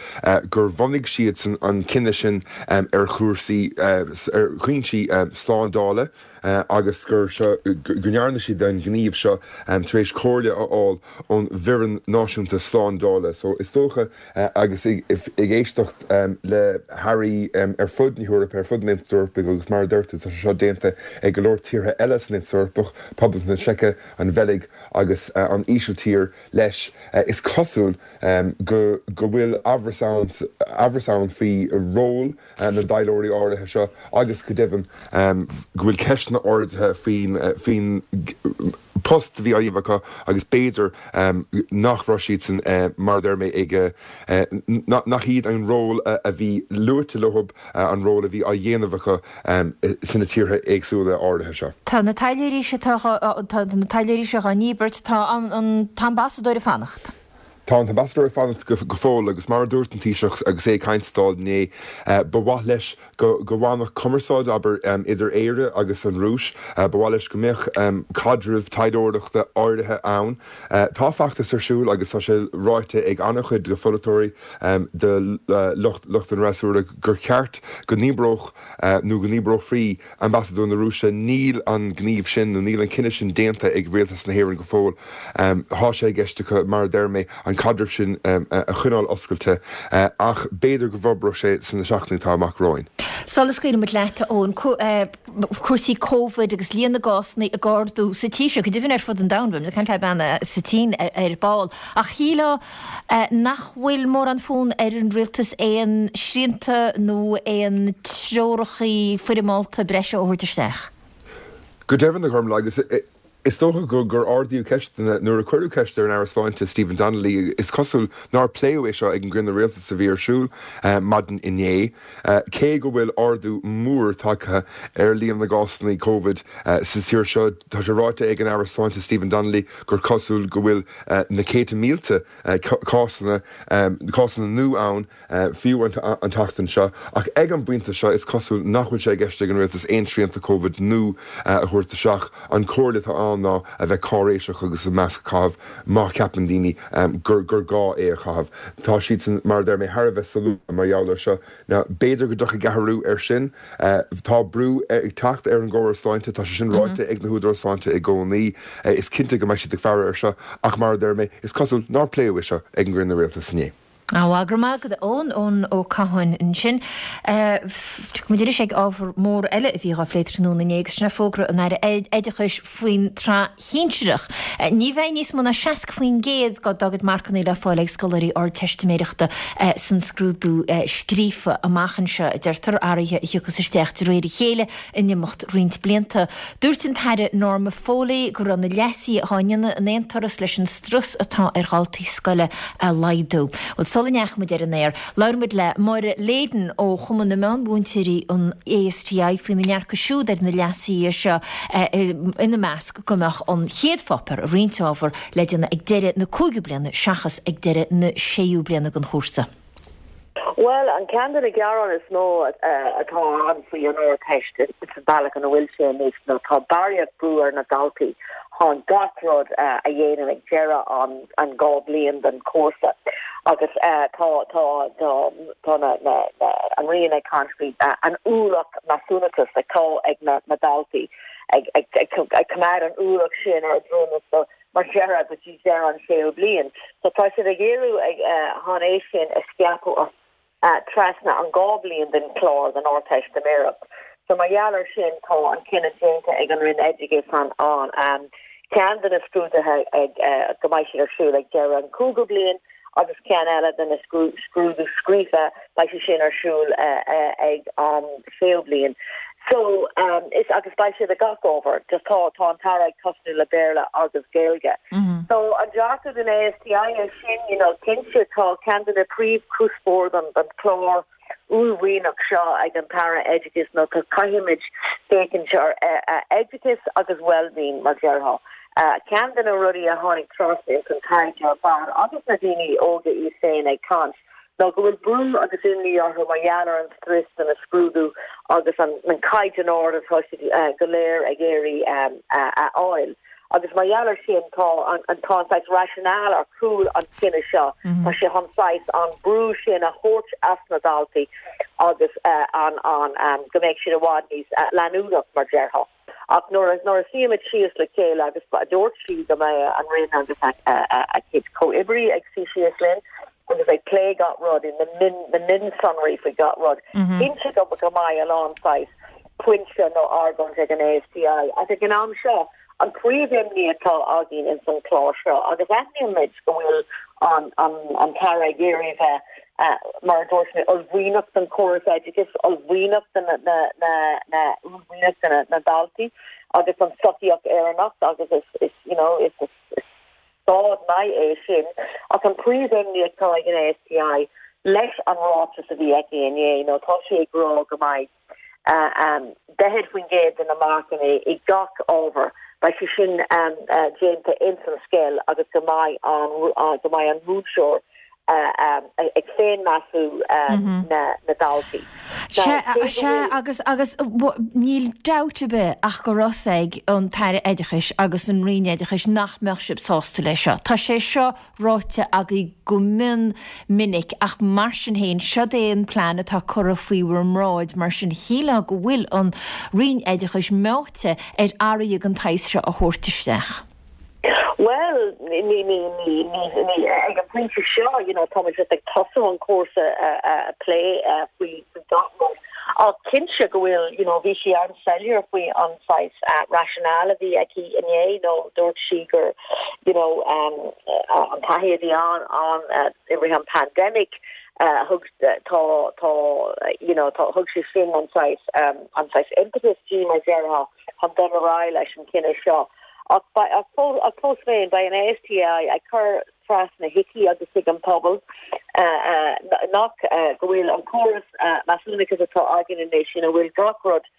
gur bhunaigh siadsan an cinneadh sin ar chúrsaí, ar chúinsí slándála agus gur seo, go ndearna siad an gníomh seo tar éis comhairle a fháil ón bhFoireann Náisiúnta Slándála. So is dócha Agus ag éisteacht le hairí ar fud na hEorpa, ar fud an Aontais Eorpaigh agus mar a deir tú, tá sé seo déanta ag go leor tíortha eile san Aontas Eorpach, Poblacht na Seice, an Bheilg agus an Ísiltír leis, is cosúil go bhfuil amhras ann amhras ann faoi ról na dtaidhleoirí áirithe seo agus go deimhin go bhfuil ceisteanna ardaithe faoin bpost a bhí á dhéanamh acu agus b'fhéidir nach raibh siadsan, mar a deir mé, ag, nach iad an ról a bhí luaite leo, an ról a bhí á dhéanamh acu sna tíortha éagsúla áirithe seo. Tá na taidhleoirí seo, tá na taidhleoirí seo á ndíbirt, tá an t-ambasadóir ag fanacht. Tá an t-ambasadóir ag fanacht go fóill agus mar a dúirt an Taoiseach agus é ag caint sa Dáil inné, ba mhaith leis go bhfanfadh cumarsáid, abair, idir Éire agus an Rúis. Ba mhaith leis go mbeadh caidreamh taidhleoireachta áirithe ann. Tá feachtas ar siúl agus tá sé ráite ag an-chuid de pholaiteoirí, de lucht an fhreasúra gur cheart go ndíbreodh nó go ndíbreofaí Ambasadóir na Rúise, Níl an gníomh sin nó níl an cinneadh sin déanta ag Rialtas na hÉireann go fóill. Tá sé i gceist acu, mar a deir mé, an caidreamh sin a choinneáil oscailte ach b'fhéidir go bhforbróidh sé sna seachtainí atá amach romhainn. Sula scaoilfidh muid leat, a Eoin, cúrsaí Covid agus líon na gcásanna ag ardú sa tír seo, go deimhin ar fud an domhain, beimid ag caint le bean sa tSín ar ball, ach shílfeá nach bhfuil mórán fonn ar an rialtas aon srianta nó aon treorachaí foirmeálta breise a thabhairt isteach. Go deimhin, a Ghormlaith, agus is dócha gur ardaíodh ceisteanna nuair a cuireadh ceist ar an Aire Sláinte Stephen Donnelly, is cosúil nár pléadh é seo ag an gcruinniú rialtais a bhí ar siúl maidin inné. Cé go bhfuil ardú mór tagtha ar líon na gcásanna Covid sa tír seo, tá sé ráite ag an Aire Sláinte Stephen Donnelly gur cosúil go bhfuil na céadta mílte cásanna, cásanna nua ann fiú an tseachtain seo. Ach ag an bpointe seo, is cosúil nach bhfuil sé i gceist ag an rialtas aon srianta Covid nua a thabhairt isteach. An chomhairle atá ann ná a bheith cáiréiseach agus an masc a chaitheamh má cheapann daoine gur gá é a chaitheamh. Tá siadsan, mar a deir mé, thar a bheith solúbtha mar gheall air seo. Now, b'fhéidir go dtiocfaidh athrú air sin. Tá brú ag teacht ar an gcóras sláinte, tá sé sin ráite ag na húdaráis sláinte i gcónaí. Is cinnte go mbeidh siad ag faire air seo, ach mar a deir mé, is cosúil nár pléadh é seo ag an gcruinniú rialtais inné. Á, go raibh maith agat, a Eoin, Eoin Ó Catháin ansin. Tiocfaidh muid arís ag ábhar mór eile a bhí á phlé tráthnóna inné agus sin é fógra an Aire Oideachais faoin tsraith shinsearach. Ní bheidh níos mó ná 60% dá gcuid marcanna le fáil ag scoláirí Ardteistiméireachta san scrúdú scríofa amach anseo, a deirtear, athruithe a thiocfas isteach de réir a chéile in imeacht roinnt blianta. Dúirt an tAire Norma Foley go raibh na leasuithe á ndéanamh in aon turas leis an strus atá ar dhaltaí scoile a laghdú. Bhuel, sula ndeachaigh muid ar an aer, labhair muid le Máire Leyden ó Chumann na Meánmhúinteoirí, an ASTI, faoina ndearcadh siúd ar na leasuithe seo, ina measc go mbeadh an chéad pháipéar i roinnt ábhar le déanamh ag deireadh na cúigiú bliana seachas ag deireadh na séú bliana den chúrsa. Bhuel, an ceann de na gearáin is mó atá ann faoi an Ardteist is an bealach ina bhfuil sé anois ná tá barraíocht brú ar na daltaí chun gach rud a dhéanamh ag deireadh an 2 bliain den chúrsa agus tá tá tá tá na na an Roinn ag caint faoi an ualach measúnachta atá ag na na daltaí ag ag ag ag coimeád an ualach sin ar a ndroim so mar deireadh go dtí deireadh an séú bliain. So tá siad ag iarraidh chun é sin a scaipeadh trasna an 2 bliain den chlár den Ardteistiméireacht. So mar gheall ar sin tá an cinneadh déanta ag an Roinn Oideachais an an ceann de na scrúduithe ag go mbeidh siad ar siúl ag deireadh an cúigiú bliain agus ceann eile de na scrúdú scríofa, beidh sé sin ar siúl ag an séú bliain. So, is, agus beidh siad ag gach ábhar, just tá, tá an tAire ag tosnú le Béarla agus Gaeilge. So, an dearcadh den ASTI é sin, you know, cinnte tá ceann de na príomhchuspóir don, don chlár uaillmhianach seo ag an tAire Oideachais nó tá caithfimid féachaint ar oideachas agus well-being mar déarfá. Ceann de na rudaí a tháinig trasna ins an taighde ar fad agus na daoine óga iad féin ag caint ná go bhfuil brú agus imní orthu mar gheall ar an strus de na scrúdú agus an caighdeán ard atá siad go léir ag iarraidh a fháil. Agus mar gheall ar sin tá an tá an saghas rationale ar chúl an chinnidh seo, tá sé chun saghas an brú sin a thabhairt as na daltaí agus an an go mbeidh siad i bhfad níos leanúnach mar déarfá. Ach nuair a nuair a suímid síos le chéile agus dúirt sí go mbeidh an Roinn agus a cuid comhoibrí ag suí síos linn agus ag plé gach rud i na min na mionsonraí faoi gach rud, cinnte go go mbeidh a lán saghas pointe nó argóint ag an ASTI ach ag an am seo an príomh-imní atá againn ins an chlár seo agus aithnímid go bhfuil an an an tAire ag iarraidh bheith mar a dúirt mé uaillmhianach don chóras oideachais, uaillmhianach do na na na na uaillmhianach do na na daltaí agus don tsochaíocht Éireannach agus is is you know is is is stad maith é sin ach an príomh-imní atá ag an ASTI leis an ráiteas a bhí aici inné nó tá sí ag rá go mbeidh. 40% de na marcanna i gach ábhar, beidh sé sin déanta ins an scoil agus go mbeidh an go mbeidh an múinteoir ag féinmheasú na ndaltaí. Sea, sea, agus, agus níl dabht ar bith ach go raibh fhios ag an tAire Oideachais agus an Roinn Oideachais nach mbeadh sibh sásta leis seo. Tá sé seo ráite agaibh go mion minic ach mar sin féin, seod é an plean atá curtha faoi bhur mbráid, mar sin shílfeá go bhfuil an Roinn Oideachais meáite ar athruithe den tsaghas seo a thabhairt isteach. Bhuel, ní, ní, ní, ní, ní, ag an bpointe seo, you know, táimid just ag tosú an cúrsa a plé faoi gach rud. Ach cinnte go bhfuil, you know, bhí sí an-soiléir faoi an saghas rationale a bhí aici inné, nó dúirt sí gur, you know, an taithí a bhí ann ann i rith an pandemic, thug, tá, tá, you know, tá, thug sé sin an saghas, an saghas impetus di, mar déarfá, chun dul ar aghaidh leis an chinneadh seo. Ach, ach fós féin, beidh an ASTI ag cur trasna chuici agus chuig an pobal nach go bhfuil an córas measúnachais atá againn anois ina bhfuil gach rud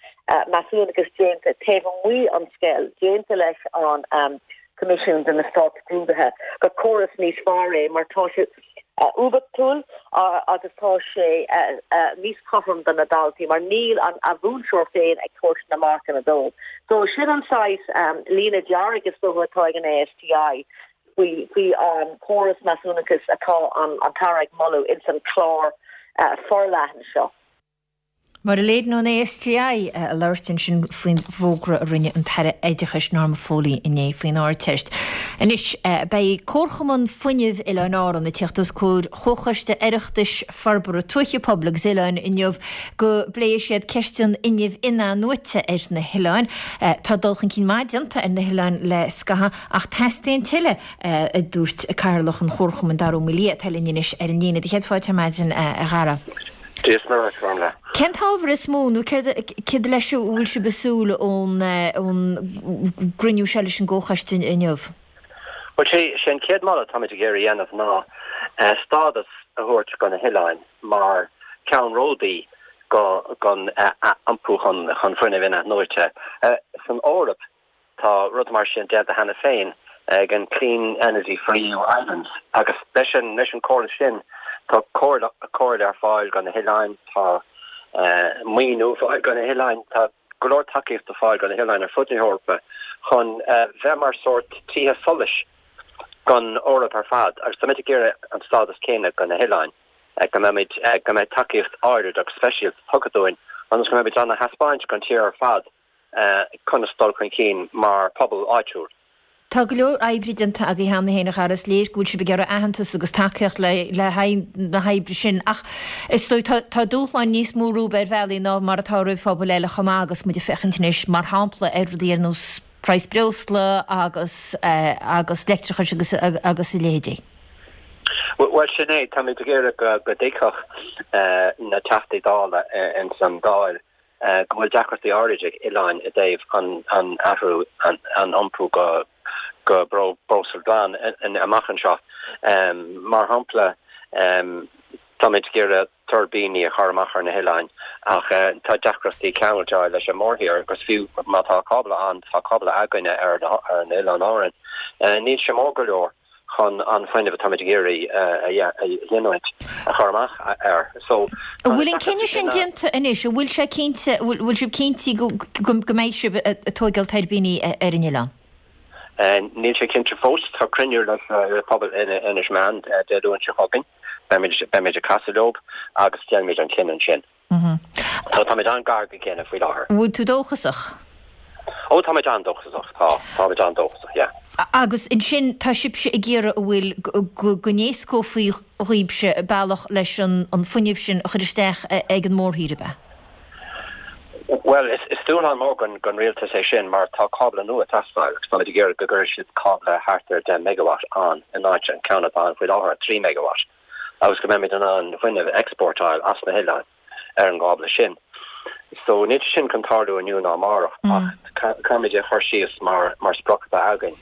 measúnachas déanta taobh amuigh an scoil, déanta leis an Coimisiún de na Stát-Scrúduithe, gur córas níos fearr é mar tá sé oibiachtúil agus tá sé níos cothrom do na daltaí mar níl an mhúinteoir féin ag tabhairt na marcanna dóibh. So sin an saghas líne dearg is dócha atá ag an ASTI. faoi faoi an córas measúnachais atá an tAire ag moladh ins an clár forleathan seo. Máire Leyden ón ASTI ag labhairt ansin faoin bhfógra a rinne an tAire Oideachais Norma Foley inné faoin Ardteist. Anois, beidh Comharchumann Fuinnimh Oileáin Árann ag tíocht os comhair Chomhchoiste Oireachtais Forbartha Tuaithe, Pobail agus Oileáin inniu go bpléifidh siad ceist an fhuinnimh in-athnuaite ar na hoileáin. Tá dul chun cinn maith déanta ar na hoileáin le scaitheamh Ach teastaíonn tuilleadh, a dúirt Cathaoirleach an Chomharchumainn, Dara Ó Maolaodha, atá linn anois ar an líne. Céad fáilte ar maidin, a Dhara. Dia is Muire dhuit, a Ghormfhlaith. Cén t-ábhar is mó, nó céard leis a bhfuil sibh ag súil ón gcruinniú seo leis an gComhchoiste inniu? Bhuel, sé an chéad moladh atáimid ag iarraidh a dhéanamh ná stádas a thabhairt do na hoileáin mar cheannródaí don iompú chun fuinneamh in-athnuaite. San Eoraip, Tá rud mar sin déanta cheana féin ag an Clean Energy for EU Islands agus leis an leis an córas sin tá comhairle comhairle ar fáil do na hoileáin, tá maoiniú ar fáil do na hoileáin, tá go leor tacaíocht ar fáil do na hoileáin ar fud na hEorpa chun bheith mar sórt tithe solais don Eoraip ar fad agus táimid ag iarraidh an stádas céanna do na hoileáin, go mbeimid go mbeidh tacaíocht áirid agus speisialta tugtha dúinn ionas go mbeimid in ann a thaispeáint don tír ar fad conas dul chun cinn mar phobal áitiúil. Tá go leor oibre déanta agaibh cheana féin, a Dhara. Is léir go bhfuil sibh ag iarraidh aitheantas agus tacaíocht le haghaidh na hoibre sin ach is dóigh tá tá dúshláin níos mó romhaibh ar bhealaí ná mar atá roimh phobail eile chomh maith agus muid ag féachaint anois mar shampla ar rudaí ar nós praghas breosla agus agus leictreachais agus agus a leithéidí. Bhuel sin é, táimid ag iarraidh go go dtuigfeadh na Teachtaí Dála ins an Dáil go bhfuil deacrachtaí áirid ag oileáin i dtaobh an athrú, an iompú go breosla glan amach anseo. Mar shampla, táimid ag iarraidh tuirbíní a chur amach ar na hoileáin ach tá deacrachtaí ceangailt a fháil leis an mórthír agus fiú má tá cábla ann, tá cábla againne ar an Oileán Árann, níl sé mór go leor. chun an fuinneamh atáimid ag iarraidh a ghiniúint a chur amach air. So, An bhfuil an cinneadh sin déanta anois? An bhfuil sé cinnte, an bhfuil sibh cinnte go mbeidh sibh ag tóigeáil tuirbíní ar an oileán? Níl sé cinnte fós. Tá cruinniú le pobal Inis Meáin Dé Luain seo chugainn. Beimid ag casadh leo agus déanfaimid an cinneadh ansin. So táimid an-gar don chinneadh faoi láthair. Bhfuil tú dóchasach? Ó, táimid an-dóchasach, tá. Táimid an-dóchasach, yeah. Agus ansin tá sibhse ag iarraidh an bhfuil go n-éascófaí dhaoibhse bealach leis an fuinneamh sin a chur isteach ag an mórthír, ab ea? Bhuel, is dúshlán mór don rialtas é sin mar tá cábla nua ag teastáil agus táimid ag iarraidh go gcuirfidh siad cábla thart ar 10 megawatt ann in áit an ceann atá ann faoi láthair, 3 megawatt. agus go mbeimid in ann fuinneamh a exportáil as na hoileáin ar an gcábla sin. So níl sé sin chun tarlú inniu ná amárach ach caithfimid é a chur síos mar mar sprioc atá againn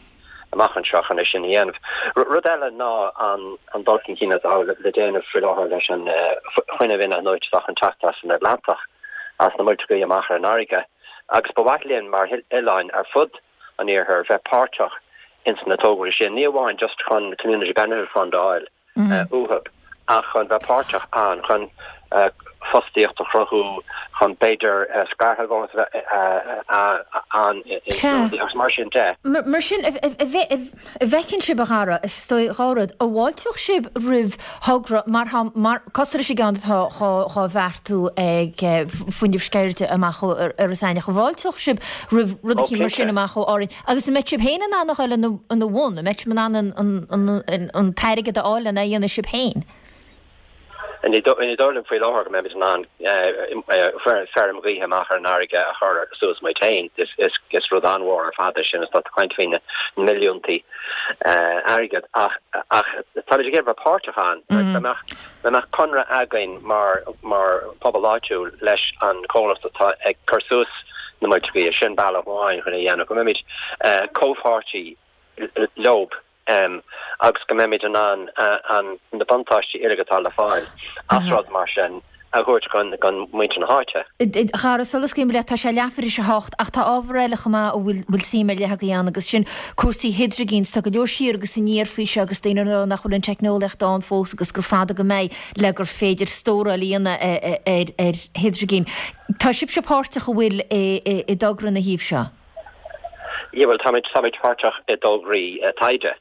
amach anseo chun é sin a dhéanamh. Rud eile ná an an dul chun cinn atá le déanamh faoi láthair leis an fuinneamh in-athnuaite atá chun teacht as an Atlantach. as na muilte gaoithe amach ar an fharraige agus ba mhaith linn mar oileáin ar fud an iarthair bheith páirteach ins na tograí sin, ní amháin just chun Community Benefit Fund a fháil uathu ach chun bheith páirteach ann, chun fostaíocht a chruthú, chun b'fhéidir scairshealbhóireacht a bheith ann agus mar sin de. Mar sin, an bhfeiceann sibh, a Dhara, is dóigh, dhá rud, an bhfáilteodh sibh roimh thogra mar tá, mar, cosúil leis an gceann atá dhá bheartú ag Fuinneamh Sceirde amach ó Iorras Aithneach, an bhfáilteodh sibh roimh rud eicínt mar sin amach ó Árainn? Agus an mbeadh sibh féin in ann a ghoil ina bhun? An mbeadh sibh in ann an t-airgead a fháil lena dhéanamh sibh féin? Ní dóigh liom faoi láthair go mbeimid in ann feirm ghaoithe amach ar an fharraige a chur suas muid féin. Is rud an-mhór ar fad é sin agus tá tú ag caint faoi na milliúntaí airgead. Ach táimid ag iarraidh bheith páirteach ann. Dá mbeadh conradh againn mar phobal áitiúil leis an chomhlacht atá ag cur suas na muilte gaoithe, sin bealach amháin chun é a dhéanamh, go mbeimid comhpháirtí leob agus go mbeimid in ann na buntáistí uilig atá le fáil as rud mar sin a thabhairt chun muintir na háite. A Dhara, sula scaoilim leat, tá sé leathuair tar éis a hocht ach tá ábhar eile chomh maith a bhfuil suim ar leith againn ann agus sin cúrsaí hidrigine. Tá go leor siar agus aniar faoi seo agus daoine ag rá nach bhfuil an teicneolaíocht ann fós agus gur fada go mbeidh le gur féidir stóráil a dhéanamh ar hidrigin. Tá sibhse páirteach an bhfuil i dtogra ina thaobh seo? Yeah bhuel táimid táimid páirteach i dtograí taighde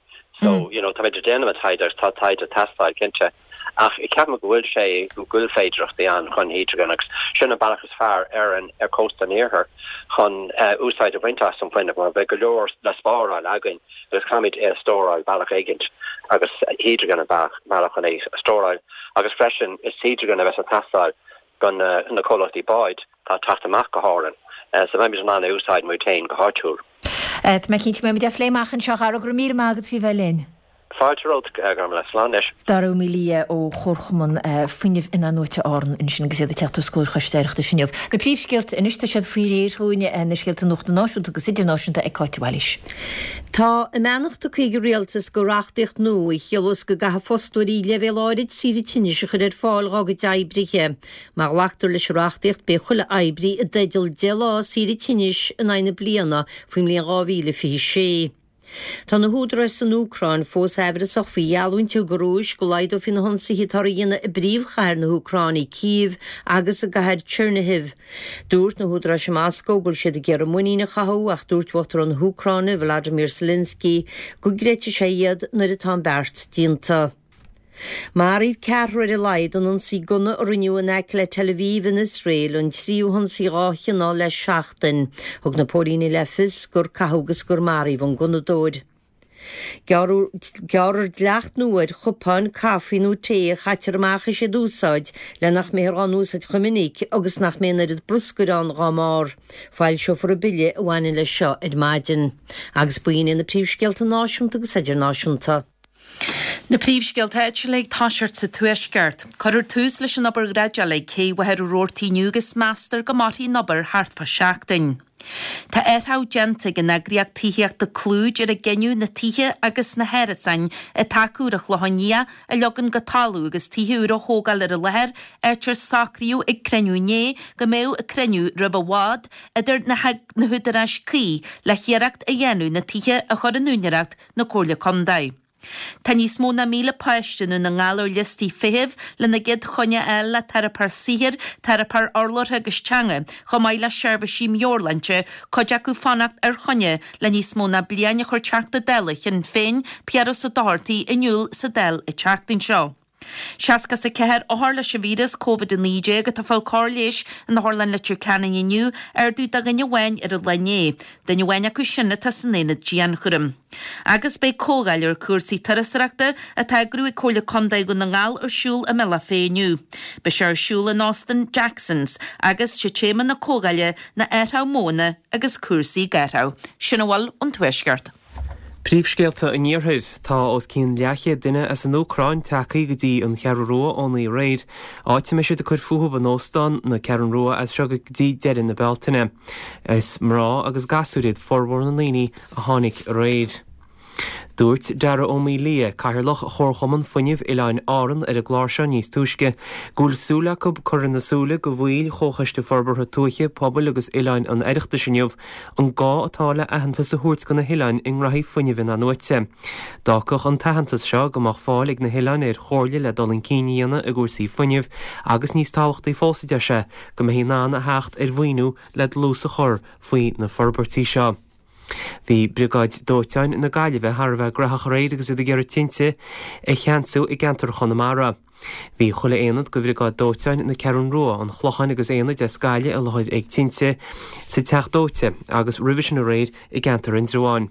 so you know táimid ag déanamh an taighde agus tá taighde ag teastáil cinnte. Ach ceapaim go bhfuil sé, go bhfuil féidearthachtaí ann chun hidrigin agus sin an bealach is fearr ar an, ar cósta an iarthair chun úsáid a bhaint as an bhfuinneamh mar beidh go leor le spáráil againn agus caithfimid é a stóráil bealach éigint agus hidrigin an bealach, bealach chun é a stóráil agus freisin is hidrigin a bheas ag teastáil do na comhlachtaí báid atá ag teacht amach go hÁrainn so beimid in ann é a úsáid muid féin go háitiúil. Tá mé cinnte go mbeimid á phlé amach anseo. A Dhara, go raibh míle maith agat faoi bheith linn. Fáilte romhat, a Ghormfhlaith. Slán anois. Dara Ó Maolaodha ó Chomharchumann Fuinnimh In-athnuaite Árann ansin agus iad ag teacht os comhair Choiste Oireachtais inniu. Na príomhscéalta anois, tá siad faoi réir dhúinn, na scéalta nuachta náisiúnta agus idirnáisiúnta ag Cáit de Bhailís. Tá a mbeannacht tugtha ag an Rialtas do reachtaíocht nua a chiallós go gcaithfidh fostóirí leibhéal áirid saoire tinnis a chur ar fáil dhá gcuid oibrithe. Má ghlactar leis an reachtaíocht beidh chuile oibrí i dteideal 10 lá saoire tinnis in aghaidh na bliana faoin mbliain 2026. Tá na húdaráis san Úcráin fós aimhreasach faoi gheallúint a thug an Rúis go laghdófaí na hionsaithe atáthar a dhéanamh i bpríomhchathair na hÚcráine, Cív, agus i gcathair Chernihiv. Dúirt na húdaráis i Moscó go bhfuil siad ag iarraidh muinín a chothú ach dúirt Uachtarán na hÚcráine, Volodymyr Zelensky, go gcreidfidh sé iad nuair atá an beart déanta. Maraíodh ceathrar ar a laghad in ionsaí gunna a rinneadh in aice le Tel Aviv in Iosrael, an tríú hionsaí dhá chineál le seachtain. Thug na póilíní le fios gur caitheadh agus gur maraíodh an gunnadóir. Gearrfar dleacht nua ar chupáin caife nó tae a chaitear amach is iad a úsáid le nach mbeifear á n-úsáid chomh minic agus nach mbeidh an oiread bruscair ann dhá mbarr. Foilseofar an bille a bhaineann leis seo ar maidin. Agus b'in iad na príomhscéalta náisiúnta agus idirnáisiúnta. Na príomhscéalta áitiúla ag toiseacht sa Tuaisceart. Cuirfear tús leis an obair dhreideála ag Cé Mhachaire Rabhartaigh inniu agus meastar go mairfidh an obair thart fá sheachtain. Tá athraitheach déanta ag an eagraíocht tithíochta Clúid ar a gcinneadh na tithe agus na hárasáin atá acu ar an Chlochán Liath a leagan go talamh agus tithe úra a thógáil ar an láthair, áit ar socraíodh ag cruinniú inné go mbeadh cruinniú roimh i bhfad idir na húdaráis cuí le hiarracht a dhéanamh na tithe a chur in úinéireacht na Comhairle Contae. Tá níos mó ná 1,000 páiste i nDún na nGall ar liostaí feithimh lena gcéad choinne a fháil le teiripeoir saothair, teiripeoir urlabhra agus teanga, chomh maith le seirbhísí meabhairshláinte, cuid acu fanacht ar choinne le níos mó ná bliain a chuir Teachta Dála Shinn Féin, Piaras Ó Dochartaigh, in iúl sa Dáil an tseachtain seo. 64 othar leis an víreas Covid-19 atá ag fáil cóir leighis in Otharlann Leitir Ceanainn inniu, ardú de dhuine amháin ar an lá inné. Duine amháin acu sin atá san aonad dianchúraim. Agus beidh comhdháil ar chúrsaí turasóireachta atá á eagrú ag Comhairle Contae Dhún na nGall ar siúl i mBealach Féich inniu. Beidh sé ar siúl in Óstán Jackson's agus sé téama na comhdháile ná athrú modhanna agus cúrsaí gáthrach. Sin a bhfuil ón Tuaisceart. Príomhscéalta an Iarthair. Tá os cionn leathchéad duine as an Úcráin tagtha go dtí an Cheathrú Rua ón aréir, áit a mbeidh siad ag cur fúthu in Óstán na Ceathrún Rua as seo go dtí deireadh na Bealtaine. Is mná agus gasúir iad formhór na ndaoine a tháinig aréir. Dúirt Dara Ó Maolaodha, Cathaoirleach Chomharchumann Fuinnimh Oileáin Árann ar an gclár seo níos túisce, go bhfuil súil acu cur ar na súile do bhaill Chomhchoiste Forbartha Tuaithe, Pobail agus Oileáin an Oireachtais inniu an gá atá le aitheantas a thabhairt do na hoileáin i ngraithí fuinnimh in-athnuaite. D'fhágfadh an t-aitheantas seo go mbeadh fáil ag na hoileáin ar chomhairle le dul chun cinn a dhéanamh i gcúrsaí fuinnimh agus níos tábhachtaí fós, a deir sé, go mbeifí in ann a theacht ar mhaoiniú le dlús a chur faoi na forbairtí seo. Bhí Briogáid Dóiteáin na Gaillimhe thar a bheith graitheach aréir agus iad ag iarraidh tinte a cheansú i gceantar Chonamara. Bhí chuile aonad de Bhriogáid Dóiteáin na Ceathrún Rua, an Chlocháin agus aonaid as Gaillimh i láthair ag tinte sa Teach Dóite agus roimhe sin aréir i gceantar Indreabháin.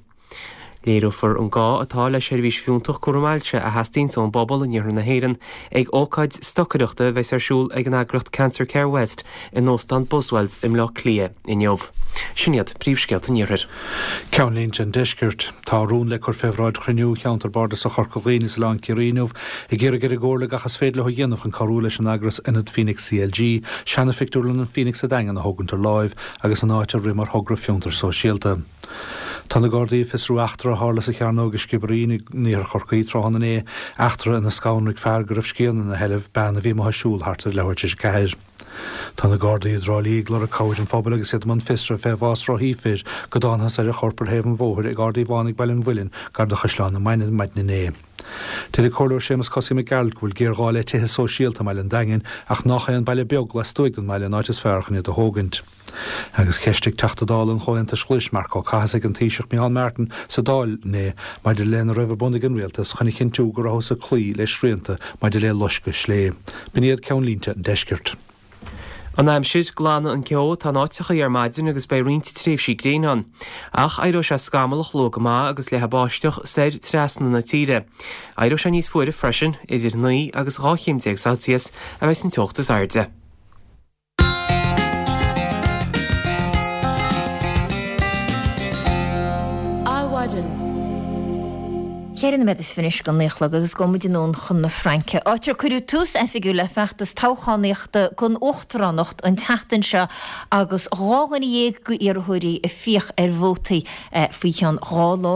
Léireofar an gá atá le seirbhís fiúntach cúram ailse a theastaíonns ón bpobal in iarthar na hÉireann ag ócáid stocaireachta a bheas ar siúl ag an eagraíocht Cancer Care West in Óstán Buswells i mBleá Cliath inniu. Sin iad príomhscéalta an Iarthair. Ceannlínte an Deiscirt. Tá rún le cur fé bhráid chruinniú Cheantar Bardasach Chorca Dhuibhne is Oileán Ciarraí inniu ag iarraidh ar an gComhairle gach is féidir leo a dhéanamh chun cabhrú leis an eagras Ionad Phoenix CLG seana-phictiúrlann an Phoenix sa Daingean a thógaint ar láimh agus an áit a rith mar thogra fiontair sóisialta. Tá na Gardaí ag fiosrú eachtra a tharla sa Chearnóg i Sciobairín in iarthar Chorcaí tráthnóna inné, eachtra ina scanraigh fear go raibh scian ina sheilbh, bean a bhí amuigh ag siúl thart ar leathuair tar éis a ceathair. Tá na Gardaí i dTrá Lí ag lorg cabhair an phobail agus iad i mbun fiosraithe fé bhás rothaí fir go dtángthas ar a chorp ar thaobh an bhóthair ag Ard Uí Bhánaigh Baile an Mhuilinn gar do Chaisleán na Mainge maidin inné. Deir an Comhairleoir Séamus Cosaí Mac Gearailt go bhfuil géarghá le tithe sóisialta i mbaile an Daingin ach nách é an baile beag lastuaidh den mbaile an áit is fearr chun iad a thógaint. Agus cheistigh Teachta Dála an Chomhaontais Ghlais, Marc Ó Cathasaigh, an Taoiseach Micheál Martin sa Dáil inné maidir lena raibh ar bun ag an Rialtas chun a chinntiú go rabhthas ag cloí le srianta maidir le loisceadh slé. B'in iad ceannlínte an deiscirt. An aimsir, Glanfaidh an ceo atá in áiteachaí ar maidin agus beidh roinnt tréimhsí gréine ann. Ach éireoidh sé scamallach luath go maith agus leathfaidh báisteach soir trasna na tíre. Éireoidh sé níos fuaire freisin, idir 9 agus 12 chéim Celsius a bheidh san teocht is airde. Adhmhaidin. Cheithre nóiméad is fiche anois go naoi a chlog agus gabhfaidh muid anonn chun na Fraince, áit ar cuireadh tús oifigiúil le feachtas toghchánaíochta don uachtaránacht an tseachtain seo agus 12 dhuine d'iarrthóirí ag fiach ar vótaí faoi cheann 12 lá.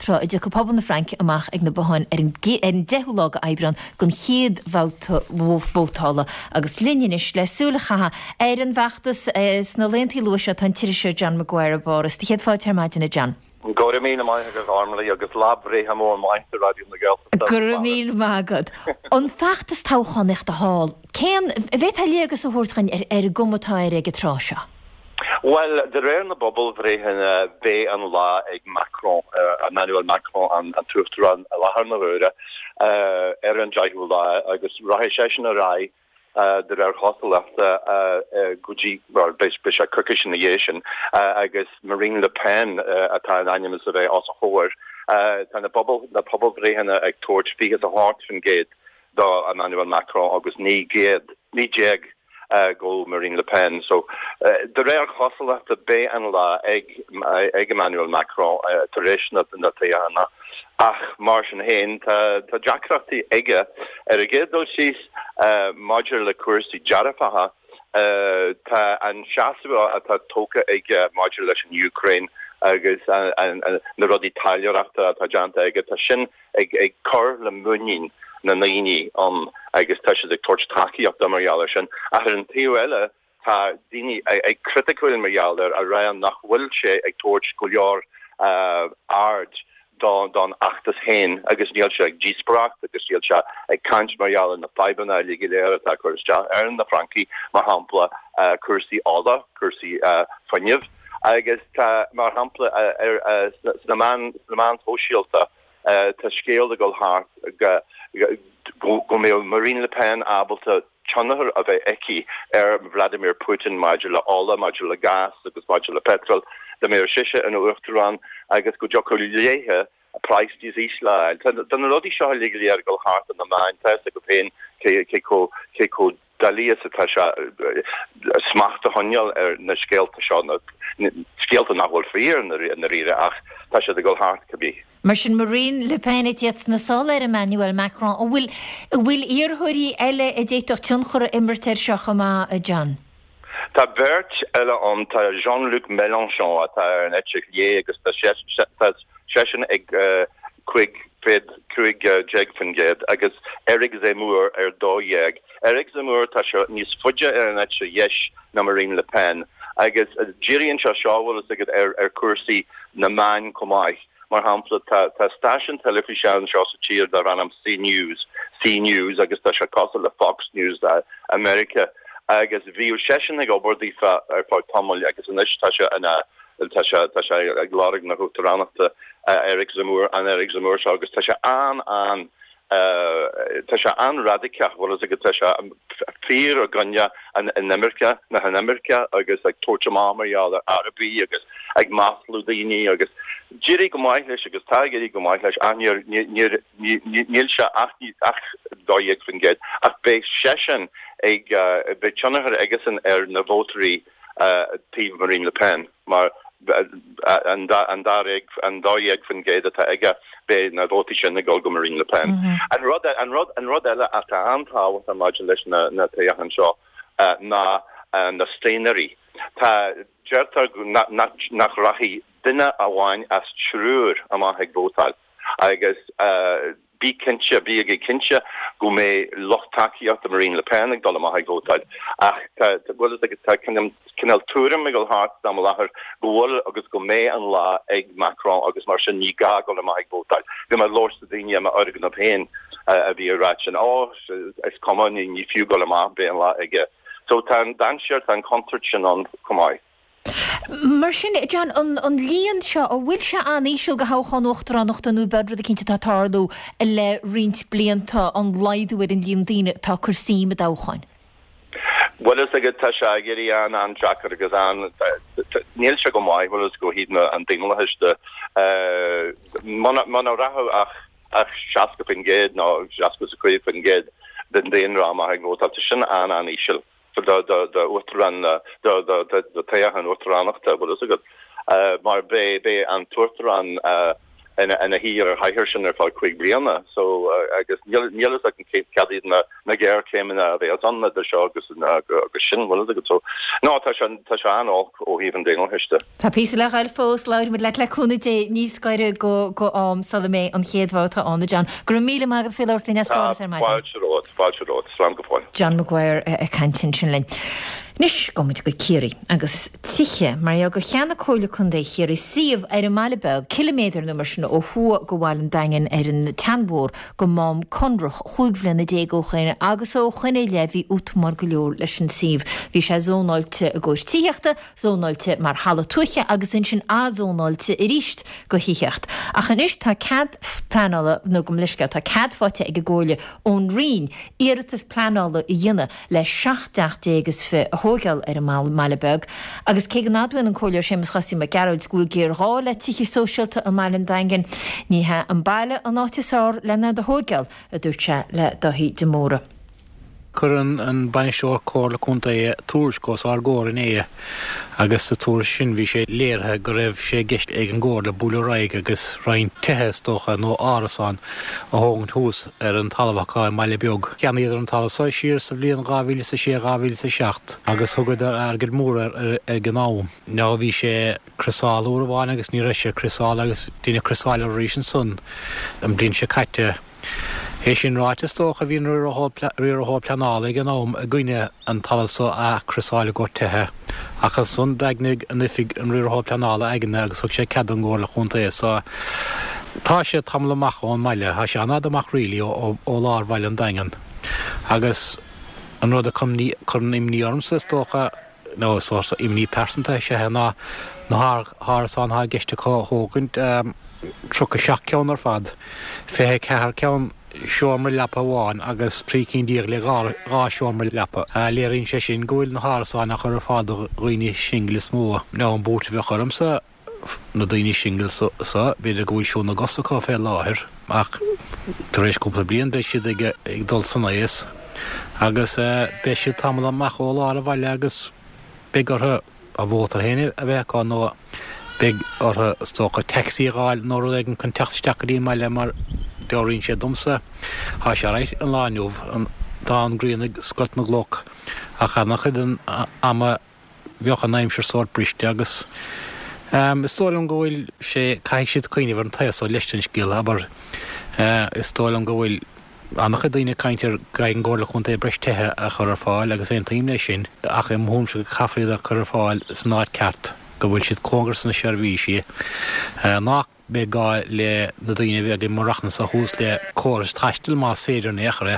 tráth a dtiocfaidh pobal na Fraince amach ag na botháin ar an 10ú lá de Aibreán don chéad bhabhta vótála. Agus linn anois le súil a chaitheamh ar an bhfeachtas sna laethantaí luatha seo tá an t-iriseoir John Maguire i bPáras. Do chéad fáilte ar maidin, a John. Go raibh míle maith agat, a Ghormlaith, agus lá breithe mór maith do Raidió na Gaeltachta. Go raibh míle maith agat. An feachtas toghchánaíochta thall, cén, an bhféadfá léargas a thabhairt dhuinn ar an gcuma atá air ag an tráth seo? Bhuel, de réir na bpobalbhreitheanna, beidh an lá ag Macron, Emmanuel Macron, an t-uachtarán i láthair na huaire, ar an deichiú lá agus rachaidh seisean ar aghaidh, de réir chosúlachta, go dtí, bhuel, beidh sé coicís ina dhiaidh sin, agus Marine Le Pen atá in ainm is a bheith os a chomhair. Tá na pobalbhreitheanna ag tabhairt 28% do Emmanuel Macron agus 19 go Marine Le Pen. So, de réir chosúlachta, beidh an lá ag ag Emmanuel Macron tar éis na toghchána ach mar sin féin tá deacrachtaí aige. Ar an gcéad dul síos, maidir le cúrsaí dearfacha, tá an seasamh atá tógtha aige maidir leis an Úcráin agus na rudaí taidhleoireachta atá déanta aige, tá sin ag cur le muinín na ndaoine ann agus tá siad ag tabhairt tacaíocht dó mar gheall air sin. Ach ar an taobh eile, tá daoine ag criticiúil mar gheall air, ag rá nach bhfuil sé ag tabhairt go leor aird don fheachtas féin agus níl sé ag díospóireacht agus níl sé ag caint mar gheall ar na fadhbanna uilig go léir atá ag cur isteach ar na Francaigh, mar shampla cúrsaí ola, cúrsaí fuinnimh. Agus tá, mar shampla, sna meáin shóisialta, tá scéal ag dul thart go mbeadh Marine Le Pen ábalta tionchar a bheith aici ar Vladimir Putin maidir le ola, maidir le gás agus maidir le peitreal, dá mbeadh sise ina uachtarán agus go dtiocfadh léithe praghas níos ísle a fháil. Tá na rudaí seo uilig go léir ag dul thart ar na meáin, tá a fhios agat féin cé chomh doiligh is atá sé smacht a choinneáil ar na scéalta seo, na scéalta nach bhfuil fíor i ndáiríre ach tá siad ag dul thart cibé. Mar sin, Marine Le Pen ag tíocht sna sála ar Emmanuel Macron. An bhfuil, an bhfuil iarrthóirí eile a d'fhéadfadh tionchar a imirt air seo chomh maith, a John? Tá beirt eile ann, tá Jean-Luc Mélenchon atá ar an eite chlé agus tá seisean ag. 15% agus Eric Zemmour ar 12. Eric Zemmour, tá sé níos faide ar an eite dheis ná Marine Le Pen agus díríonn sé seo, bhfuil fhios agat, ar chúrsaí na meáin chomh maith. Mar shampla, tá tá stáisiún teilifíse anseo sa tír darb ainm CNews, CNews, agus tá sé cosúil le Fox News i Meiriceá agus bhíodh seisean ag obair daofa ar feadh tamaill agus anois tá sé ina tá sé tá sé ag lorg na huachtaránachta Eric Zemmour, an Eric Zemmour seo agus tá sé an an Tá sé an-radaiceach, bhfuil fhios agat, tá sé fíor i gcoinne an inimirce, na hinimirce agus ag tabhairt amach mar gheall ar Arabaigh agus ag maslú daoine agus d'éirigh go maith leis agus tá ag éirí go maith leis ach níor, níor, níl sé ach, ach 12% ach beidh seisean ag, beidh tionchar aigesan ar na vótóirí taobh Marine Le Pen mar an 12% atá aige, beidh na vótaí sin ag dul go Marine Le Pen. An rud, an rud, an rud eile atá an-tábhachtach maidir leis na, na toghcháin seo ná na staonairí. Tá, deirtear nach, nach rachaidh duine amháin as triúr amach ag vótáil agus Bí cinnte, bígí cinnte go mbeidh lucht tacaíochta Marine Le Pen ag dul amach ag vótáil. Ach tá, bhfuil fhios agat, tá cineál tuairim ag dul thart san am i láthair go bhfuil agus go mbeidh an lá ag Macron agus mar sin ní gá dul amach ag vótáil. Bhí mé ag labhairt le daoine i m'fhoirgneamh féin a bhí ag ráit sin, Ó, is cuma, ní fiú dul amach, beidh an lá aige. So tá an dainséar, tá an chontúirt sin ann chomh maith. Mar sin, John, an líon seo, an bhfuil sé an-íseal do thoghchán uachtaránachta nó ab é rud eicínt atá ag tarlú le roinnt blianta, an laghdú ar an líon daoine atá ag cur suim i dtoghcháin? Bhfuil fhios agat, tá sé ag éirí an-an-deacair agus an, níl sé go maith, bhfuil fhios agat, ó thaobh an daonlathais de. Muna rachadh ach ach 60% nó 65% den daonra amach ag vótáil, tá sin an-an-íseal. do uachtarán, do toghchán uachtaránachta, bhfuil fhios agat, mar beidh an t-uachtarán ina shuí ar an chathaoir sin ar feadh 5 bliana. So, agus níl fhios agam cad iad na géarchéimeanna a bheas ann idir seo agus sin, bhfuil fhios agat. So, no, tá sé, tá sé an-olc ó thaobh an daonlathais de. Tá píosa le ghoil fós, labhróidh muid leat le cúnamh Dé níos gaire go go am sula mbeidh an chéad bhabhta ann, a John. Go raibh míle maith agat faoi labhairt linn as Páras ar maidin. Fáilte romhat, fáilte romhat. Slán go fóill. John Maguire ag caint ansin linn. Anois, gabhfaidh muid go Ciarraí agus tithe, mar gheall gur cheannaigh Comhairle Contae Chiarraí suíomh ar an mBaile Beag, ciliméadar nó mar sin ó thuaidh go Bhaile an Daingin ar an tSeanbhóthar go Mám Conrach chúig bhliana déag ó shoin agus ó shoin i leith bhí útamáil go leor leis an suíomh. Bhí sé zónáilte i gcomhair tithíochta, zónáilte mar thalamh tuaithe agus ansin athzónáilte arís go thithíocht. Ach anois tá cead pleanála, nó gabh mo leithscéal, tá cead faighte ag an gComhairle ón Roinn iarratas pleanála a dhéanamh le 17 teach is fi a thóigeáil ar an mBaile Beag. Agus cé go n-admhaíonn an Comhairleoir Séamus Chosaí Mac Gearailt go bhfuil géarghá le tithe sóisialta i mBaile an Daingin, ní hea an baile an áit is fearr len iad a thóigeáil, a dúirt sé le Dáithí de Mórdha. Chuir an Bainisteoir Comhairle Contae tuairisc os ár gcomhair inné agus sa tuairisc sin bhí sé léirithe go raibh sé i gceist ag an gComhairle bualadh ar aghaidh agus roinnt tithe, is dócha, nó árasáin a thógaint thuas ar an talamh acu i mBaile Beag. Cheannaíodar an talamh so siar sa bhliain 2006, 2007 agus thugadar airgead mór air ag an am. Now bhí sé criosáilte uair amháin agus ní raibh sé criosáilte agus deineadh criosáil air arís ansan an bhliain seo caite. É sin ráite, is dócha, bhí an riarthóir pleanála ag an am i gcoinne an talamh so a athchriosáil i gcomhair tithe, ach ansan dhaingnigh an oifig an riarthóir pleanála aigne agus thug sé cead don gComhairle Chontae. So, tá sé tamall amach ón mbaile, tá sé an-fhada amach really ó lár bhaile an Daingin. Agus an rud a chuireann imní ormsa, is dócha, nó sórt imní pearsanta is ea é, ná na hárasáin atá i gceist acu a thógaint, 37 ceann ar fad, 24 ceann seomra leapa amháin agus 13 cinn le dhá seomra leapa. Léiríonn sé sin go bhfuil na hárasáin á chur ar fáil do dhaoine singil is mó. Now an buairt a bheadh ormsa, na daoine singil so, b'fhéidir go bhfuil siúl na gcos acu fé láthair ach tar éis cúpla bliain beidh siad ag dul san aos agus beidh siad tamall amach ó lár an bhaile agus beidh orthu a mhótar féin a bheith acu nó beidh orthu is dócha taxi a dh'fháil nó rud éigin chun teacht isteach go dtí an mbaile mar dealraíonn sé domsa, tá sé alright an lá inniu, tá an ghrian ag scoilt na gcloch ach an-chuid den ama bheadh an aimsir sórt briste agus. Is dóigh liom go bhfuil sé, caithfidh siad cuimhneamh ar an taobh so leis den scéal, abair. Is dóigh liom go bhfuil an-chuid daoine ag caint ar go gcaithfidh an gComhairle Contae breis tithe a chur ar fáil agus aontaím leis sin ach i mo thuairimse go caithfear iad a chur ar fáil san áit ceart, go bhfuil siad cóngarach sna seirbhísí, nach mbeidh gá le na daoine a bheidh ag maireachtaint anso thuas le córas taistil más féidir in aon chor é,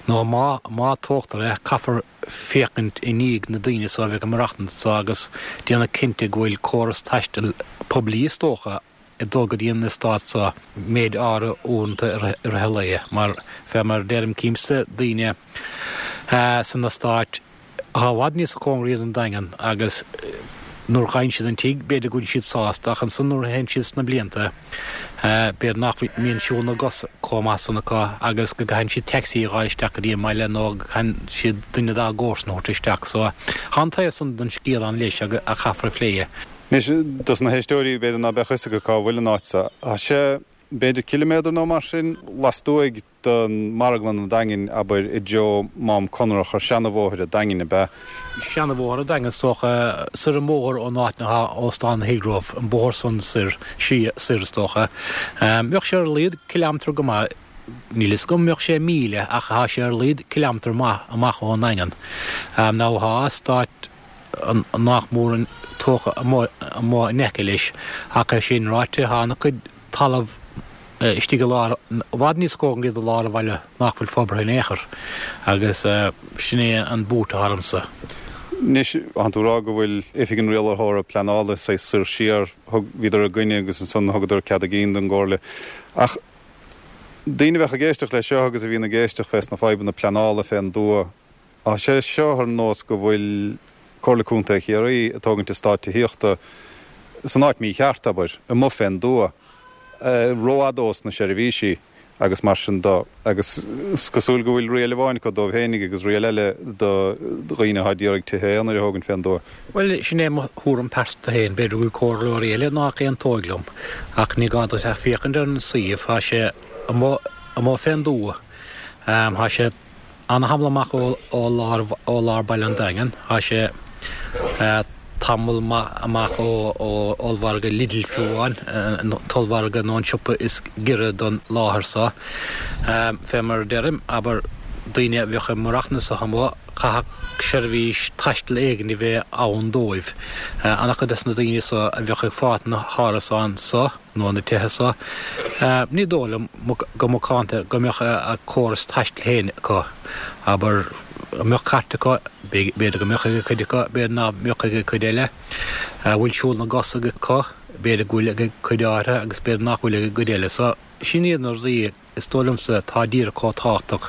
nó má má tógtar é, caithfear féachaint i ndiaidh na daoine so a bheidh ag maireachtaint anso agus déanamh cinnte go bhfuil córas taistil poiblí is dócha ag dul go dtí an eastát so méid áirithe uaireanta i rith an lae mar fé mar a deirim címse daoine san eastát atá i bhfad níos cóngaraí don Daingean agus nuair a fhaigheann siad an tigh b'fhéidir go bhfuil siad sásta ach ansan nuair a théann siad sna blianta b'fhéidir nach mbíonn siúl na gcos chomh maith san acu agus go gcaitheann siad taxi a dh'fháil isteach go dtí an mbaile nó go gcaitheann siad duine dá gcomharsan a thabhairt isteach so tá an taobh san den scéal ann leis a chaithfear a phlé. Anois, dos na héisteoirí, b'fhéidir ná beadh fhios acu cá bhfuil an áit so. Tá sé, b'fhéidir ciliméadar nó mar sin, lastuaidh de Mharglann an Daingin, abair, i dtreo Mám Conrach ar seana-bhóthar a' Daingin, ab ea? Seana-bhóthar a' Daingin, is dócha, soir an bóthar ón áit ina thá Óstán Hillgrove, an bóthar san soir, soir, is dócha. Bheadh sé ar a laghad cileámetar go maith, níl fhios agam an mbeadh sé míle, ach thá sé ar a laghad cileámetar maith amach ón nDaingean. Now thá eastát. nach mór tógtha amuigh in aice leis, ach é sin ráite, tá an-chuid talamh istigh i lár, i bhfad níos cóngaraí do lár an bhaile nach bhfuil forbartha in aon chor, agus sin é an bhuairt atá ormsa. Anois, thánn tú ag rá go bhfuil Oifig an Rialaitheora Pleanála saghas soir siar, thug, bhíodar i gcoinne agus ansan thugadar cead a gcinn don gComhairle. Ach daoine a bheadh ag éisteacht leis seo agus a bhíonn ag éisteacht fés na fadhbanna pleanála fén dtuath, Tá sé seo ar nós go bhfuil Comhairle Contae Chiarraí ag tógaint eastát tithíochta san áit mícheart, abair, amuigh fén dtuath, rófhada ós na seirbhísí agus mar sin do. Agus is cosúil go bhfuil riail amháin acu dóibh fhéinig agus riail eile do dhaoine atá d'iarraidh tithe aonair a thógaint fén dtuath. Bhuel, sin é mo thuairim pearsanta féin. B'fhéidir go bhfuil comhairleoirí eile nách aontóidh liom, ach ní gá duit ach féachaint ar an suíomh. Tá sé amuigh, amuigh fén dtuath. Tá sé. Ana-thamall amach ó lár ó lár baile an Daingin. Tá sé tamall maith amach ó ollmhargadh Lidl fiú amháin, an t-ollmhargadh nó an siopa is giorra don láthair so. Fé mar a deirim, abair, daoine a bheadh ag maireachtaint anso amuigh, chaithfeadh seirbhís taistil éigin a bheith ann dóibh. Ana-chuid des na daoine so a bheadh ag fáilt na hárasáin so, nó na tithe so, ní dóigh liom, go macánta, go mbeadh a córas taistil féin acu. Abair, an mbeadh cairt acu? B'fhéidir go mbeadh ag cuid acu, b'fhéidir ná mbeadh ag cuid eile. An bhfuil siúl na gcos acu? B'fhéidir go bhfuil ag cuid áirithe agus b'fhéidir nach bhfuil ag an gcuid eile. So, sin iad na rudaí. Is dóigh liomsa atá díreach chomh tábhachtach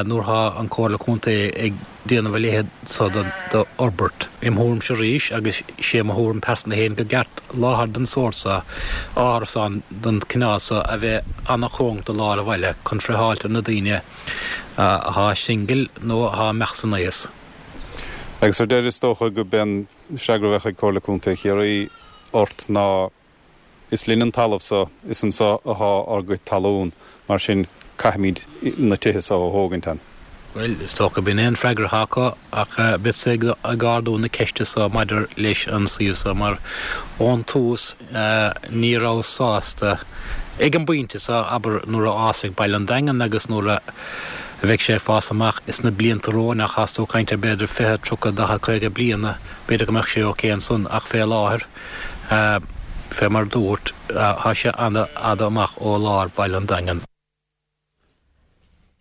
nuair atá an Comhairle Contae ag déanamh a leithéid so d'fhorbairt. Im thuairimse arís, agus sé mo thuairim pearsanta féin, go gceart láthair den sórt so, árasán den cineál so, a bheith ana-chóngarach do lár an bhaile chun friotháilt ar na daoine athá singil nó athá imeacht san aos. Agus ar deireadh is dócha go b'é an freagra a bheadh ag Comhairle Contae Chiarraí ort ná Is linn an talamh so, is anso athá ár gcuid talún, mar sin caithfimíd na tithe so a thógaint ann. Bhuel, is dócha b'in é an freagra atá acu, ach beadsa ag ardú na ceiste so maidir leis an suíomh so, mar ón tús ní rabhas sásta ag an bpointe so, abair nuair a fhásfaidh baile an Daingin agus nuair a bheidh sé ag fás amach sna blianta romhainn, ach thás tú ag caint ar b'fhéidir 20, 30, 40, 50 bliana, b'fhéidir go mbeadh sé ok ansan, ach fé láthair. Fé mar dúrt, tá sé ana-fhada amach ó lár bhaile an Daingin.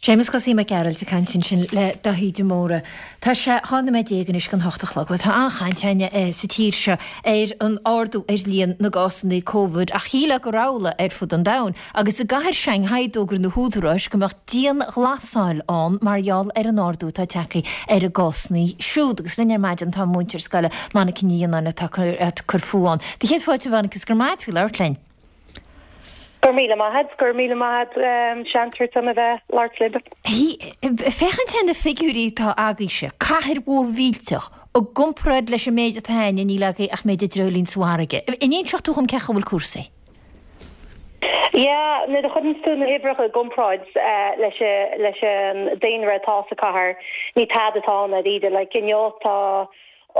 Séamus Chosaí Mac Gearailt ag caint ansin le Daithí de Mórdha. Tá sé 12 nóiméad anois don hocht a chlog. Bhuel, tá an-chaint againne sa tír seo ar an ardú ar líon na gcásanna Covid ach shílfeá gur amhlaidh ar fud an domhain. Agus i gcathair Shanghai d'fhógair na húdaráis go mbeadh dianghlasáil ann mar gheall ar an ardú atá tagtha ar a gcásanna siúd. Agus linn ar maidin tá múinteoir scoile Monica Ní Fhionnáin atá ag cur fúithi ann. Do chéad fáilte a Mhonica is go raibh maith agat faoi labhairt linn. Go raibh míle maith agat, go raibh míle maith agat seans a thabhairt dom a bheith ag labhairt libh. Féachaint ar na figiúirí atá agaibhse, cathair mhór mhillteach, i gcomparáid leis an méid atá againne, níl agaibh ach méid dreoilín sa bhfarraige. An inseoidh tú dhom cén chaoi a bhfuil cúrsaí? Yeah, nuair a chuireann tú na huimhreacha i gcomparáid leis leis an daonra atá sa cathair, ní tada atá ann dáiríre. Like inniu tá.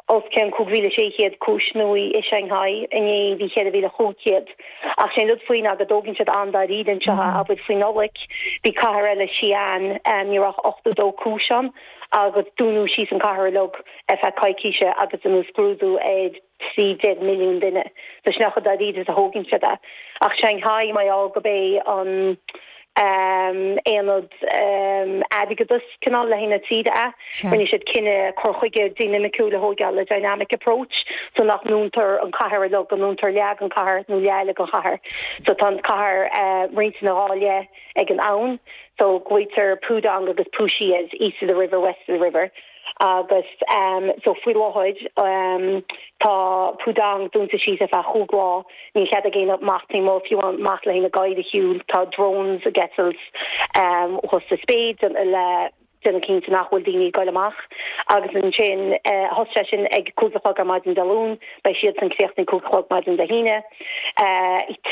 os cionn 5,600 cúis nua i Shanghai, inné bhí 4,500. Ach sé an rud faoi ná go dtógann siad an-dáiríre anseo, abair faoi Nollaig, bhí cathair eile, Xi'an, ní raibh ach 82 cúis ann agus dúnadh síos an cathair uilig ar feadh coicíse agus deineadh scrúdú ar 13 milliún duine. So sin é chomh dáiríre is a thógann siad é. Ach Shanghai, mar gheall gurb é an aonad airgeadais cineál le haghaidh na tíre é, rinne siad cinneadh cur chuige dinimiciúil a thóigeáil, a dynamic approach, so nach ndúntar an cathair uilig, go ndúntar leath den chathair nó leath eile den chathair. So tá an cathair roinnte ina dhá leith ag an abhainn. So glaoitear Pudong agus Puxi as east of the river, west of the river. Agus so faoi láthair tá Pudong dúnta síos ar feadh chúig lá, níl cead ag éinne amach taobh amuigh, fiú amach le haghaidh na gadhair a shiúl, tá drones ag eitilt thuas sa spéir le déanamh cinnte nach bhfuil daoine ag goil amach. Agus ansin thosaigh sé sin ag 5 a chlog ar maidin Dé Luain, beidh siadsan críochnaithe 5 a chlog maidin Dé hAoine,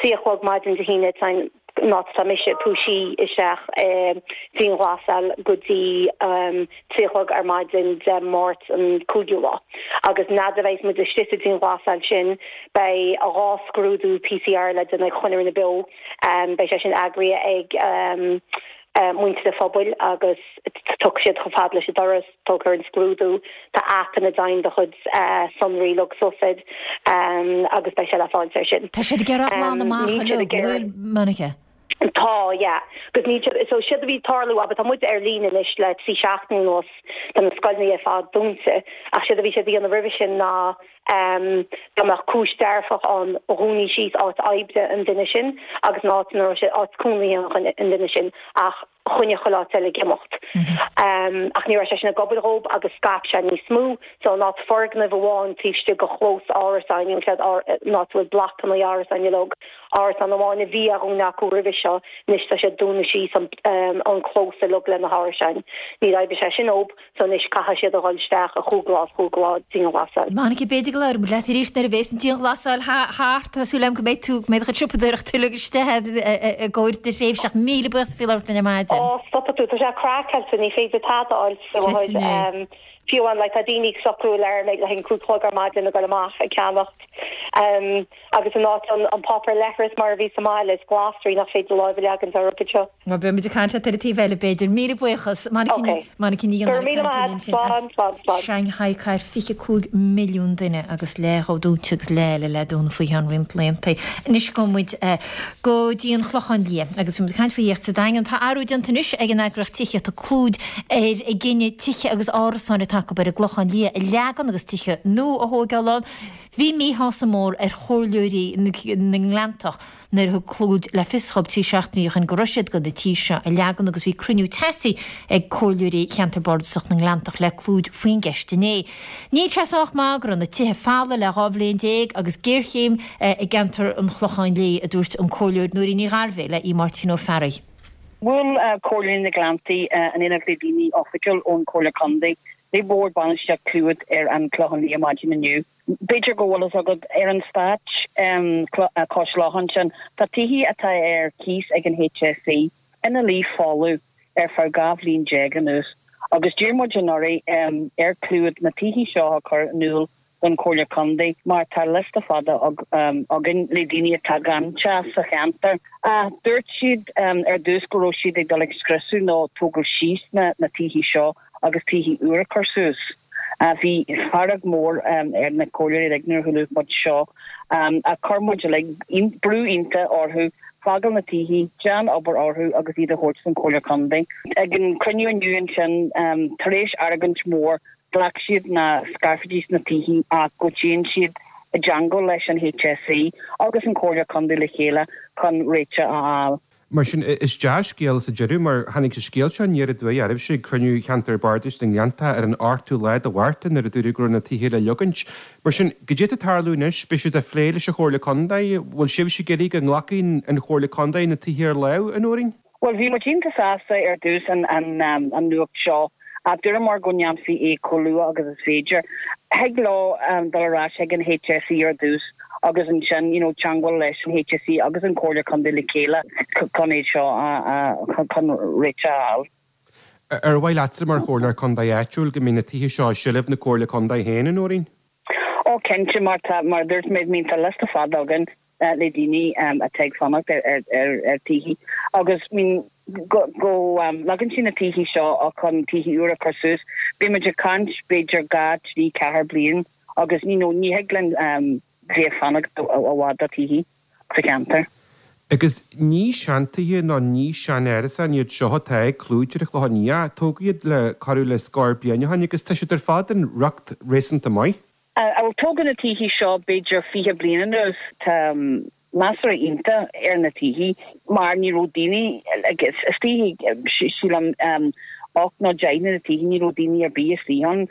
3 a chlog maidin Dé hAoine tá an an áit atá mise, Puxi, isteach i dianghlasáil go dtí 3 a chlog ar maidin Dé Máirt an cúigiú lá. Agus an fhad a bheas muid istigh sa dianghlasáil sin beidh 2 scrúdú PCR le déanamh ag chuile dhuine beo. Beidh sé sin eagraithe ag muintir an phobail agus tiocfaidh siad chomh fada leis an doras. Tógfar an scrúdú. Tá aip ina dtéann do chuid sonraí uilig suas air agus beidh sé le fáilt ar sin. Tá siad ag iarraidh a ghlanadh amach uilig, an bhfuil, Monica? Tá, yeah. Agus níl siad, so séard a bhí ag tarlú, abair, tá muid ar líne anois le 3 seachtaine anuas, tá na scoileanna ar fad dúnta, ach séard a bhí siad a dhéanamh roimhe sin ná dá mbeadh cúis dearfach ann, dhúnaí síos áit oibre an duine sin agus an áit ina raibh sé, áit cónaithe an duine sin ach choinnigh chuile áit eile ag imeacht. Ach ní raibh sé sin ag obair dhób agus scaip sé níos mó. So in áit foirgneamh amháin taobh istigh de chlós árasáin, an áit a bhfuil blocanna árasáin uilig, árasán amháin a bhí á dhúnadh acu roimhe seo, anois tá siad ag dúnadh síos an clós uilig le na hárasáin. Níor oibrigh sé sin dhób. So anois caithfidh siad a dhul isteach i chúig lá is chúig lá dianghlasáil. Monica, b'fhéidir go labhróidh muid leat arís nuair a bhéas an dianghlasáil thart. Tá súil agam go mbeidh tú, go mbeidh do chuid siopadóireachta uilig istigh i gcomhair do thréimhse ach míle buíochas faoi labhairt linn ar maidin. Ó, stopfaidh tú, tá sé craiceáilte, ní féidir tada a fháil faoi láthair. Fiú amháin, like, tá daoine ag socrú alarm le haghaidh an cúig a chlog ar maidin ag dul amach ag ceannacht. Agus in áit an páipéar leithris mar a bhí sa mbaile, is glasraí nach féidir láimh a leagaint orthu anseo. Bhuel, beidh muid ag caint leat ar an taobh eile, b'fhéidir. Míle buíochas. Monica Ní Monica Ní Go raibh míle maith agat. Slán, slán, slán. Shanghai, cathair 25 milliún duine agus leath dhó dúnta agus leath eile le dúnadh faoi cheann roinnt laethanta. Anois gabhfaidh muid go dtí an Clochán Liath agus bhí muid ag caint faoi thithíocht sa Daingean. Tá athrú déanta anois ag an eagraíocht tithíochta Clúid ar a gcinneadh tithe agus árasáin atá acu ar an gClochán Liath a leagan agus tithe nua a thóigeáil ann. Bhí míshásamh mór ar chomhairleoirí na nGleanntach nuair a thug Clúid le fios dhóibh 3 seachtainí ó shin go raibh siad chun na tithe seo a leagan agus bhí cruinniú teasaí ag comhairleoirí cheantar bardasach na nGleanntach le Clúid faoin gceist inné. Níl sé sách maith go raibh na tithe folamh le 12 bhliain agus géarchéim i gceantar an Chlocháin Léith, a dúirt an Comhairleoir Nóirín Ní Ghairbhith le Aodh Máirtín Ó Fearraigh. Bhuail Comhairleoirí na nGleanntaí in éineacht le daoine oifigiúil ón Chomhairle Contae le Bord Bainistíocht Clúid ar an Chlochán Liath maidin inniu. B'fhéidir go bhfuil fhios agat, ar an eastát cois locha ansin, tá tithe atá ar cíos ag an HSE ina luí folamh ar feadh 12 bhliain anuas agus d'iarr muid anuraidh ar Clúid na tithe seo a chur in iúl don Chomhairle Contae mar tá liosta fada againn le daoine atá gan teach sa cheantar. Dúirt siad ar dtús go raibh siad ag dul ag scriosadh nó tógáil síos na tithe seo agus tithe úra a chur suas. Bhí fearg mór ar na comhairleoirí uilig nuair a chuala muid seo. Ach chuir muid uilig brú iontach orthu fágáil na tithe, déan obair orthu agus iad a thabhairt don Chomhairle Contae. Ag an cruinniú inniu ansin, tar éis argóint mhór, ghlac siad nach scarfaidís na tithe ach go dtéann siad i dteangmháil leis an HSE agus an Chomhairle Contae le chéile chun réiteach a fháil. Mar sin, is dea-scéal sa deireadh, mar tháinig an scéal seo aniar aduaidh oraibhse ag cruinniú Cheantar Bardais na nGleanntach ar an ochtú lá de Mhárta nuair a dúradh go raibh na tithe le leagaint. Mar sin, goidé atá ag tarlú anois? Beidh siad á phlé leis an Chomhairle Contae? Bhfuil sibhse ag iarraidh go nglacfaidh an Chomhairle Contae na tithe ar láimh, a Nóirín? Bhuel, bhí muid iontach sásta ar dtús an nuacht seo ach dúramar go ndéanfaí é chomh luath agus is féidir. Thig leo dul ar ais chuig an HSE ar dtús agus ansin you know teangmháil leis an HSE agus an Chomhairle Contae le chéile chun é seo a chun réiteach a fháil. Ar mhaith leatsa mar Chomhairleoir Contae áitiúil go mbeidh na tithe seo i seilbh na Comhairle Contae féin, a Nóirín? Ó cinnte, mar tá, mar a dúirt mé, tá liosta fada againn le daoine atá ag fanacht ar tithe agus I mean go go leagann siad na tithe seo chun tithe úra a chur suas, beidh muid ag caint b'fhéidir 2, 3, 4 bliain agus you know ní thig linn bheith ag fanacht i bhfad do tithe sa cheantar. Agus ní seantithe nó ní sean-árasáin iad seo atá ag Clúid ar an Chlochán Liath. Tógadh iad le corradh le scór bliain ó shin agus tá siad ar fad in riocht réasúnta maith. Bhuel, tógadh na tithe seo b'fhéidir 20 bliain anuas. Tá measartha iontach ar na tithe mar ní raibh daoine, istigh, sílim, 8 nó 10 de na tithe ní raibh daoine ar bith istigh ann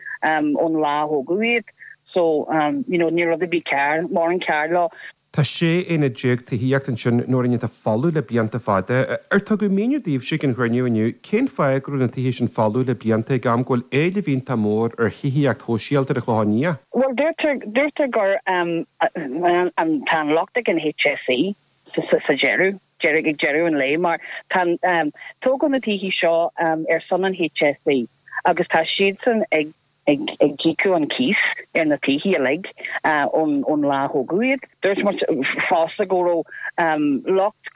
ón lá a thógadh iad. So, you know, ní raibh rud ar bith cearr, mórán cearr leo. Tá 16 aonad tithíochta ansin, Nóirín, atá folamh le blianta fada. Ar tugadh míniú daoibhse ag an chruinniú inniu cén fáth go raibh na tithe sin folamh le blianta ag am go bhfuil éileamh iontach mór ar thithíocht shóisialta ar an Chlochán Liath? Bhuel, deirtear, deirtear gur an, tá an locht ag an HSE sa deireadh, deireadh, ag deireadh an lae mar tá, tógadh na tithe seo ar son an HSE agus tá siadsan ag, ag íocadh an cíos ar na tithe uilig ón lá a thógadh iad. Dúirt muid fosta go raibh locht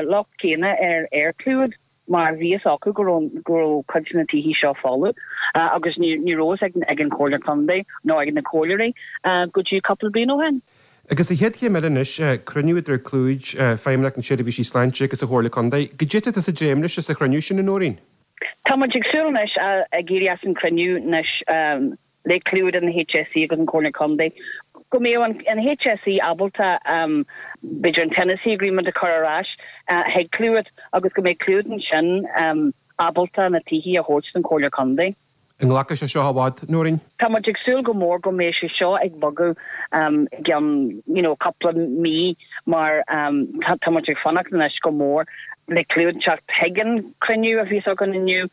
locht céanna ar ar Clúid mar bhí fhios acu go raibh go raibh cuid de na tithe seo folamh agus ní ní raibh fhios ag an Chomhairle Contae nó ag na comhairleoirí go dtí cúpla bliain ó shin. Agus an chéad chéim eile anois, cruinniú idir Clúid, Feidhmeannacht na Seirbhísí Sláinte agus an Chomhairle Contae. Goidé atá tusa ag dréim leis sa chruinniú sin, a Nóirín? Tá muid ag súil anois ag éirí as an cruinniú anois le Clúid an HSE agus an Comhairle Contae go mbeadh an HSE ábalta b'fhéidir an tenancy agreement a chur ar ais chuig Clúid agus go mbeadh Clúid ansin ábalta na tithe a thabhairt don Chomhairle Contae. An nglacfaidh sé seo i bhfad, Nóirín? Tá muid ag súil go mór go mbeidh sé seo ag bogadh i gceann you know cúpla mí mar tá muid ag fanacht anois go mór le Clúid teacht chuig an cruinniú a bhíos againn inniu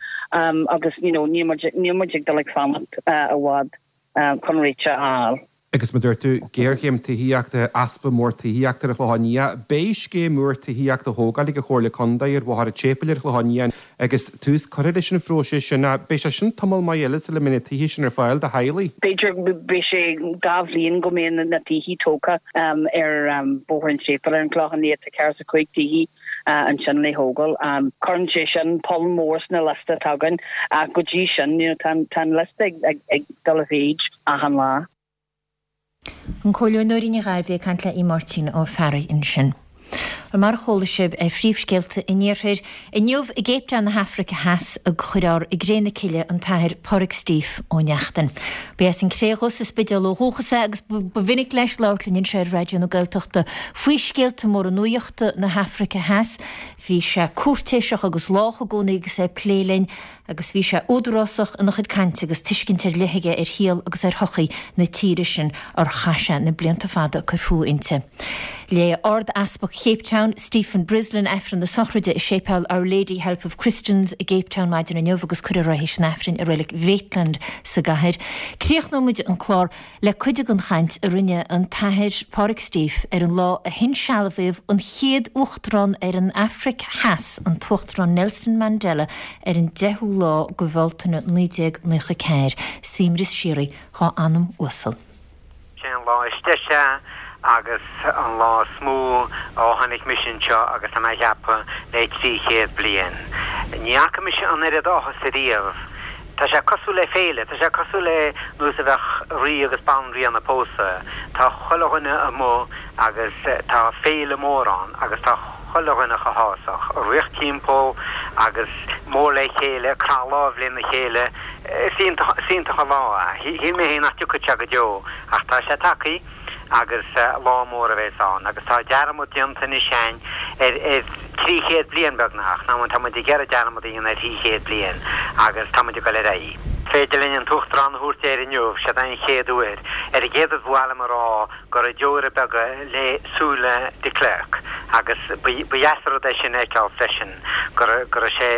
agus you know níl muid níl muid ag dul ag fanacht i bhfad chun réiteach a fháil. Agus mar a dúirt tú, géarchéim tithíochta, easpa mór tithíochta ar an Chlochán Liath. Beidh scéim úr tithíochta á thógáil ag an Chomhairle Contae ar Bhóthar an tSéipéil ar an Chlochán Liath agus tús curtha leis an phróiseas sin ach beidh sé sin tamall maith eile sula mbeidh na tithe sin ar fáil do theaghlaigh. B'fhéidir beidh sé 2 bhliain go mbeidh na tithe tógtha ar Bhóthar an tSéipéil ar an Chlochán Liath. Tá 45 tithe ansin le thógáil. Cuireann sé sin poll mór sna liosta atá againn ach go dtí sin tá an liosta ag dul i mhéid achan lá. An Comhairleoir Nóirín Ní Ghairbhí ag caint le Aodh Máirtín Ó Fearraigh ansin. Bhuel, mar a chuala sibh ar phríomhscéalta an Iarthair, inniu i gCape Town na hAfraice Theas a chuirfear i gcré na cille an tAthair Pádraig Steve Ó Neachtain. Ba as an Cré Dhubh sa Spidéal ó dhúchas é agus ba mhinic leis labhairt linn anseo ar Raidió na Gaeltachta faoi scéalta móra nuachta na hAfraice Theas. Bhí sé cúirtéiseach agus lách i gcónaí agus é ag plé linn agus bhí sé údarásach ina chuid cainte agus tuiscint ar leith aige ar shaol agus ar shochaí na tíre sin ar chaith sé na blianta fada ag cur fúthu inti. Léigh Ard-Easpag Chape Town, Stephen Brislin, Aifreann na sochraide i Séipéal Our Lady Help of Christians i gCape Town maidin inniu agus cuirfear é théis an Aifrinn i Reilig Mhaitland sa gcathair. Críochnóidh muid an clár Le cuid den chaint a rinne an tAthair Pádraig Steve ar an lá a hinsealbhaíodh an chéad Uachtarán ar an Afraic Theas, an tUachtarán Nelson Mandela, ar an 10ú lá de Bhealtaine 1994. Suaimhneas síoraí dhá anam uasal. Sé an lá is deise agus an lá is mó ó tháinig mise anseo agus tá mé a cheapadh le 300 bliain. Ní fhaca mise an oiread áthas ariamh. Tá sé cosúil le féile, tá sé cosúil le nós a bheadh rí agus banríon ag pósadh. Tá chuile dhuine amuigh agus tá féile mór ann agus tá chuile dhuine chomh hásach, ag rith timpeall agus mór le chéile, ag croitheadh lámh lena chéile. Is iontach, is iontach an lá é. Shíl mé féin nach dtiocfadh sé go deo ach tá sé tagthaí. agus lá mór a bheas ann agus tá dearmad déanta anois a'inn ar ar 300 bliain beagnach, ná tá muid ag iarraidh dearmad a dhéanamh ar 300 bliain agus tá muid ag dul ar aghaidh. Féidir linn an tUachtarán a thabhairt air inniu, siod é an chéad uair. Ar an gcéad rud ba mhaith liom a rá go raibh deora beaga le súile de Klerk agus ba dheas an rud é sin a fheiceáil freisin go raibh go raibh sé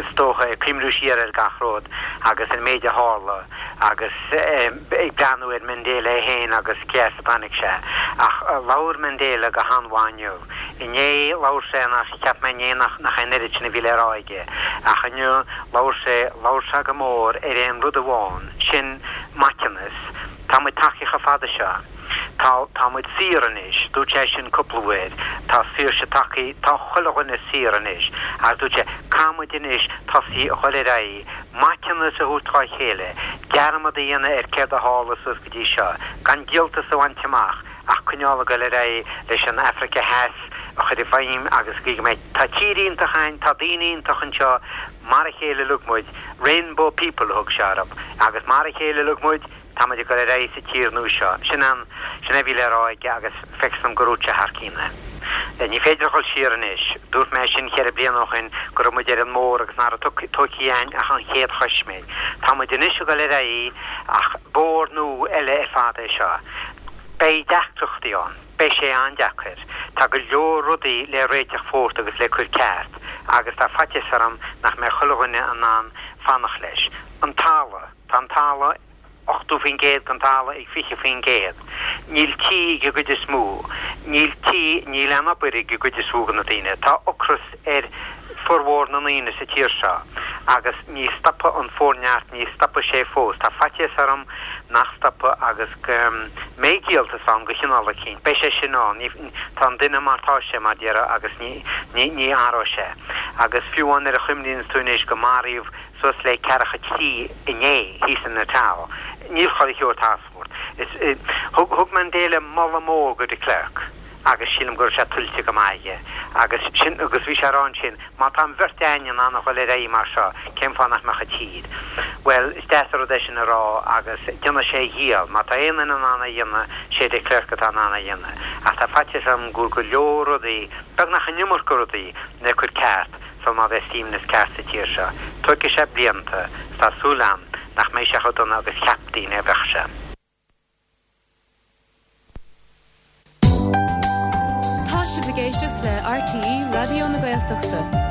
is dócha ag cuimhniú siar ar gach rud agus an méid a tharla agus ag breathnú ar Mandela é féin agus cé as a dtáinig sé. Ach labhair Mandela go han-mhaith inniu. Inné labhair sé nach, cheap mé inné nach, nach é an oiread sin a bhí le rá aige. Ach inniu labhair sé, labhair sé go mór ar aon rud amháin, sin maiteanas. Tá muid tagtha chomh fada seo. Tá, tá muid saor anois. Dúirt sé sin cúpla uair. Tá saoirse tagtha, tá chuile dhuine saor anois. Agus dúirt sé, caithfidh muid anois tosaí a dhul ar aghaidh, maiteanas a thabhairt dhá chéile, dearmad a dhéanamh ar céard a tharla suas go dtí seo, gan díoltas a bhaint amach ach coinneáil ag dul ar aghaidh leis an Afraice Theas a chur i bhfeidhm agus go mbeidh, tá tír iontach againn, tá daoine iontach anseo, mar a chéile uilig muid, rainbow people a thug sé orthu, agus mar a chéile uilig muid, tá muid ag dul ar aghaidh sa tír nua seo. Sin an, sin é a bhí le rá aige agus feictear dom gur dhúirt sé thar cionn é. Ní féidir a dhul siar anois. Dúirt mé sin cheithre bliana ó shin go raibh muid ar an mbóthar agus nach raibh tógtha againn ach an chéad choisméig. Tá muid anois ag dul ar aghaidh ach bóthar nua eile ar fad é seo. Beidh deacrachtaí ann. Beidh sé an-deacair. Tá go leor rudaí le réiteach fós agus le cur ceart agus tá faitíos orm nach mbeidh chuile dhuine in ann fanacht leis. An talamh. Tá an talamh 80% den talamh ag 20%. Níl tí ag an gcuid is mó. Níl tí, níl aon obair ag an gcuid is mó de na daoine. Tá ocras ar formhór na ndaoine sa tír seo agus ní stopfaidh an forneart, ní stopfaidh sé fós. Tá faitíos orm nach stopfaidh agus go mbeidh díoltas ann de chineál eicínt. Beidh sé sin ann. Ní, tá an duine mar tá sé, mar déarfá, agus ní, ní, ní athróidh sé. Agus fiú amháin nuair a chuimhníonns tú anois go maraíodh suas le ceathracha 3 inné thíos in Natal. Níl chuile shórt as. Is, thug, thug Mandela moladh mór go de Klerk agus sílim go raibh sé tuillte go maith aige. Agus sin, agus bhí sé a rá ansin, má tá an bheirt a'ainn in ann a dhul ar aghaidh mar seo, cén fáth nach mbeadh an tír? Bhuel, is deas an rud é sin a rá agus déanfaidh sé a dhícheall. Má tá aon duine in ann é a dhéanamh, sé de Klerk atá in ann é a dhéanamh. Ach tá faitíos orm go bhfuil go leor rudaí, beagnach an iomarca rudaí, le cur ceart. sul má bheas suaimhneas ceart sa tír seo. Tógfaidh sé blianta, 's tá súil a'm nach mbeidh sé chomh dona agus cheap daoine a bheadh sé. Tá sibh ag éisteacht le RTÉ Raidió na Gaeltachta.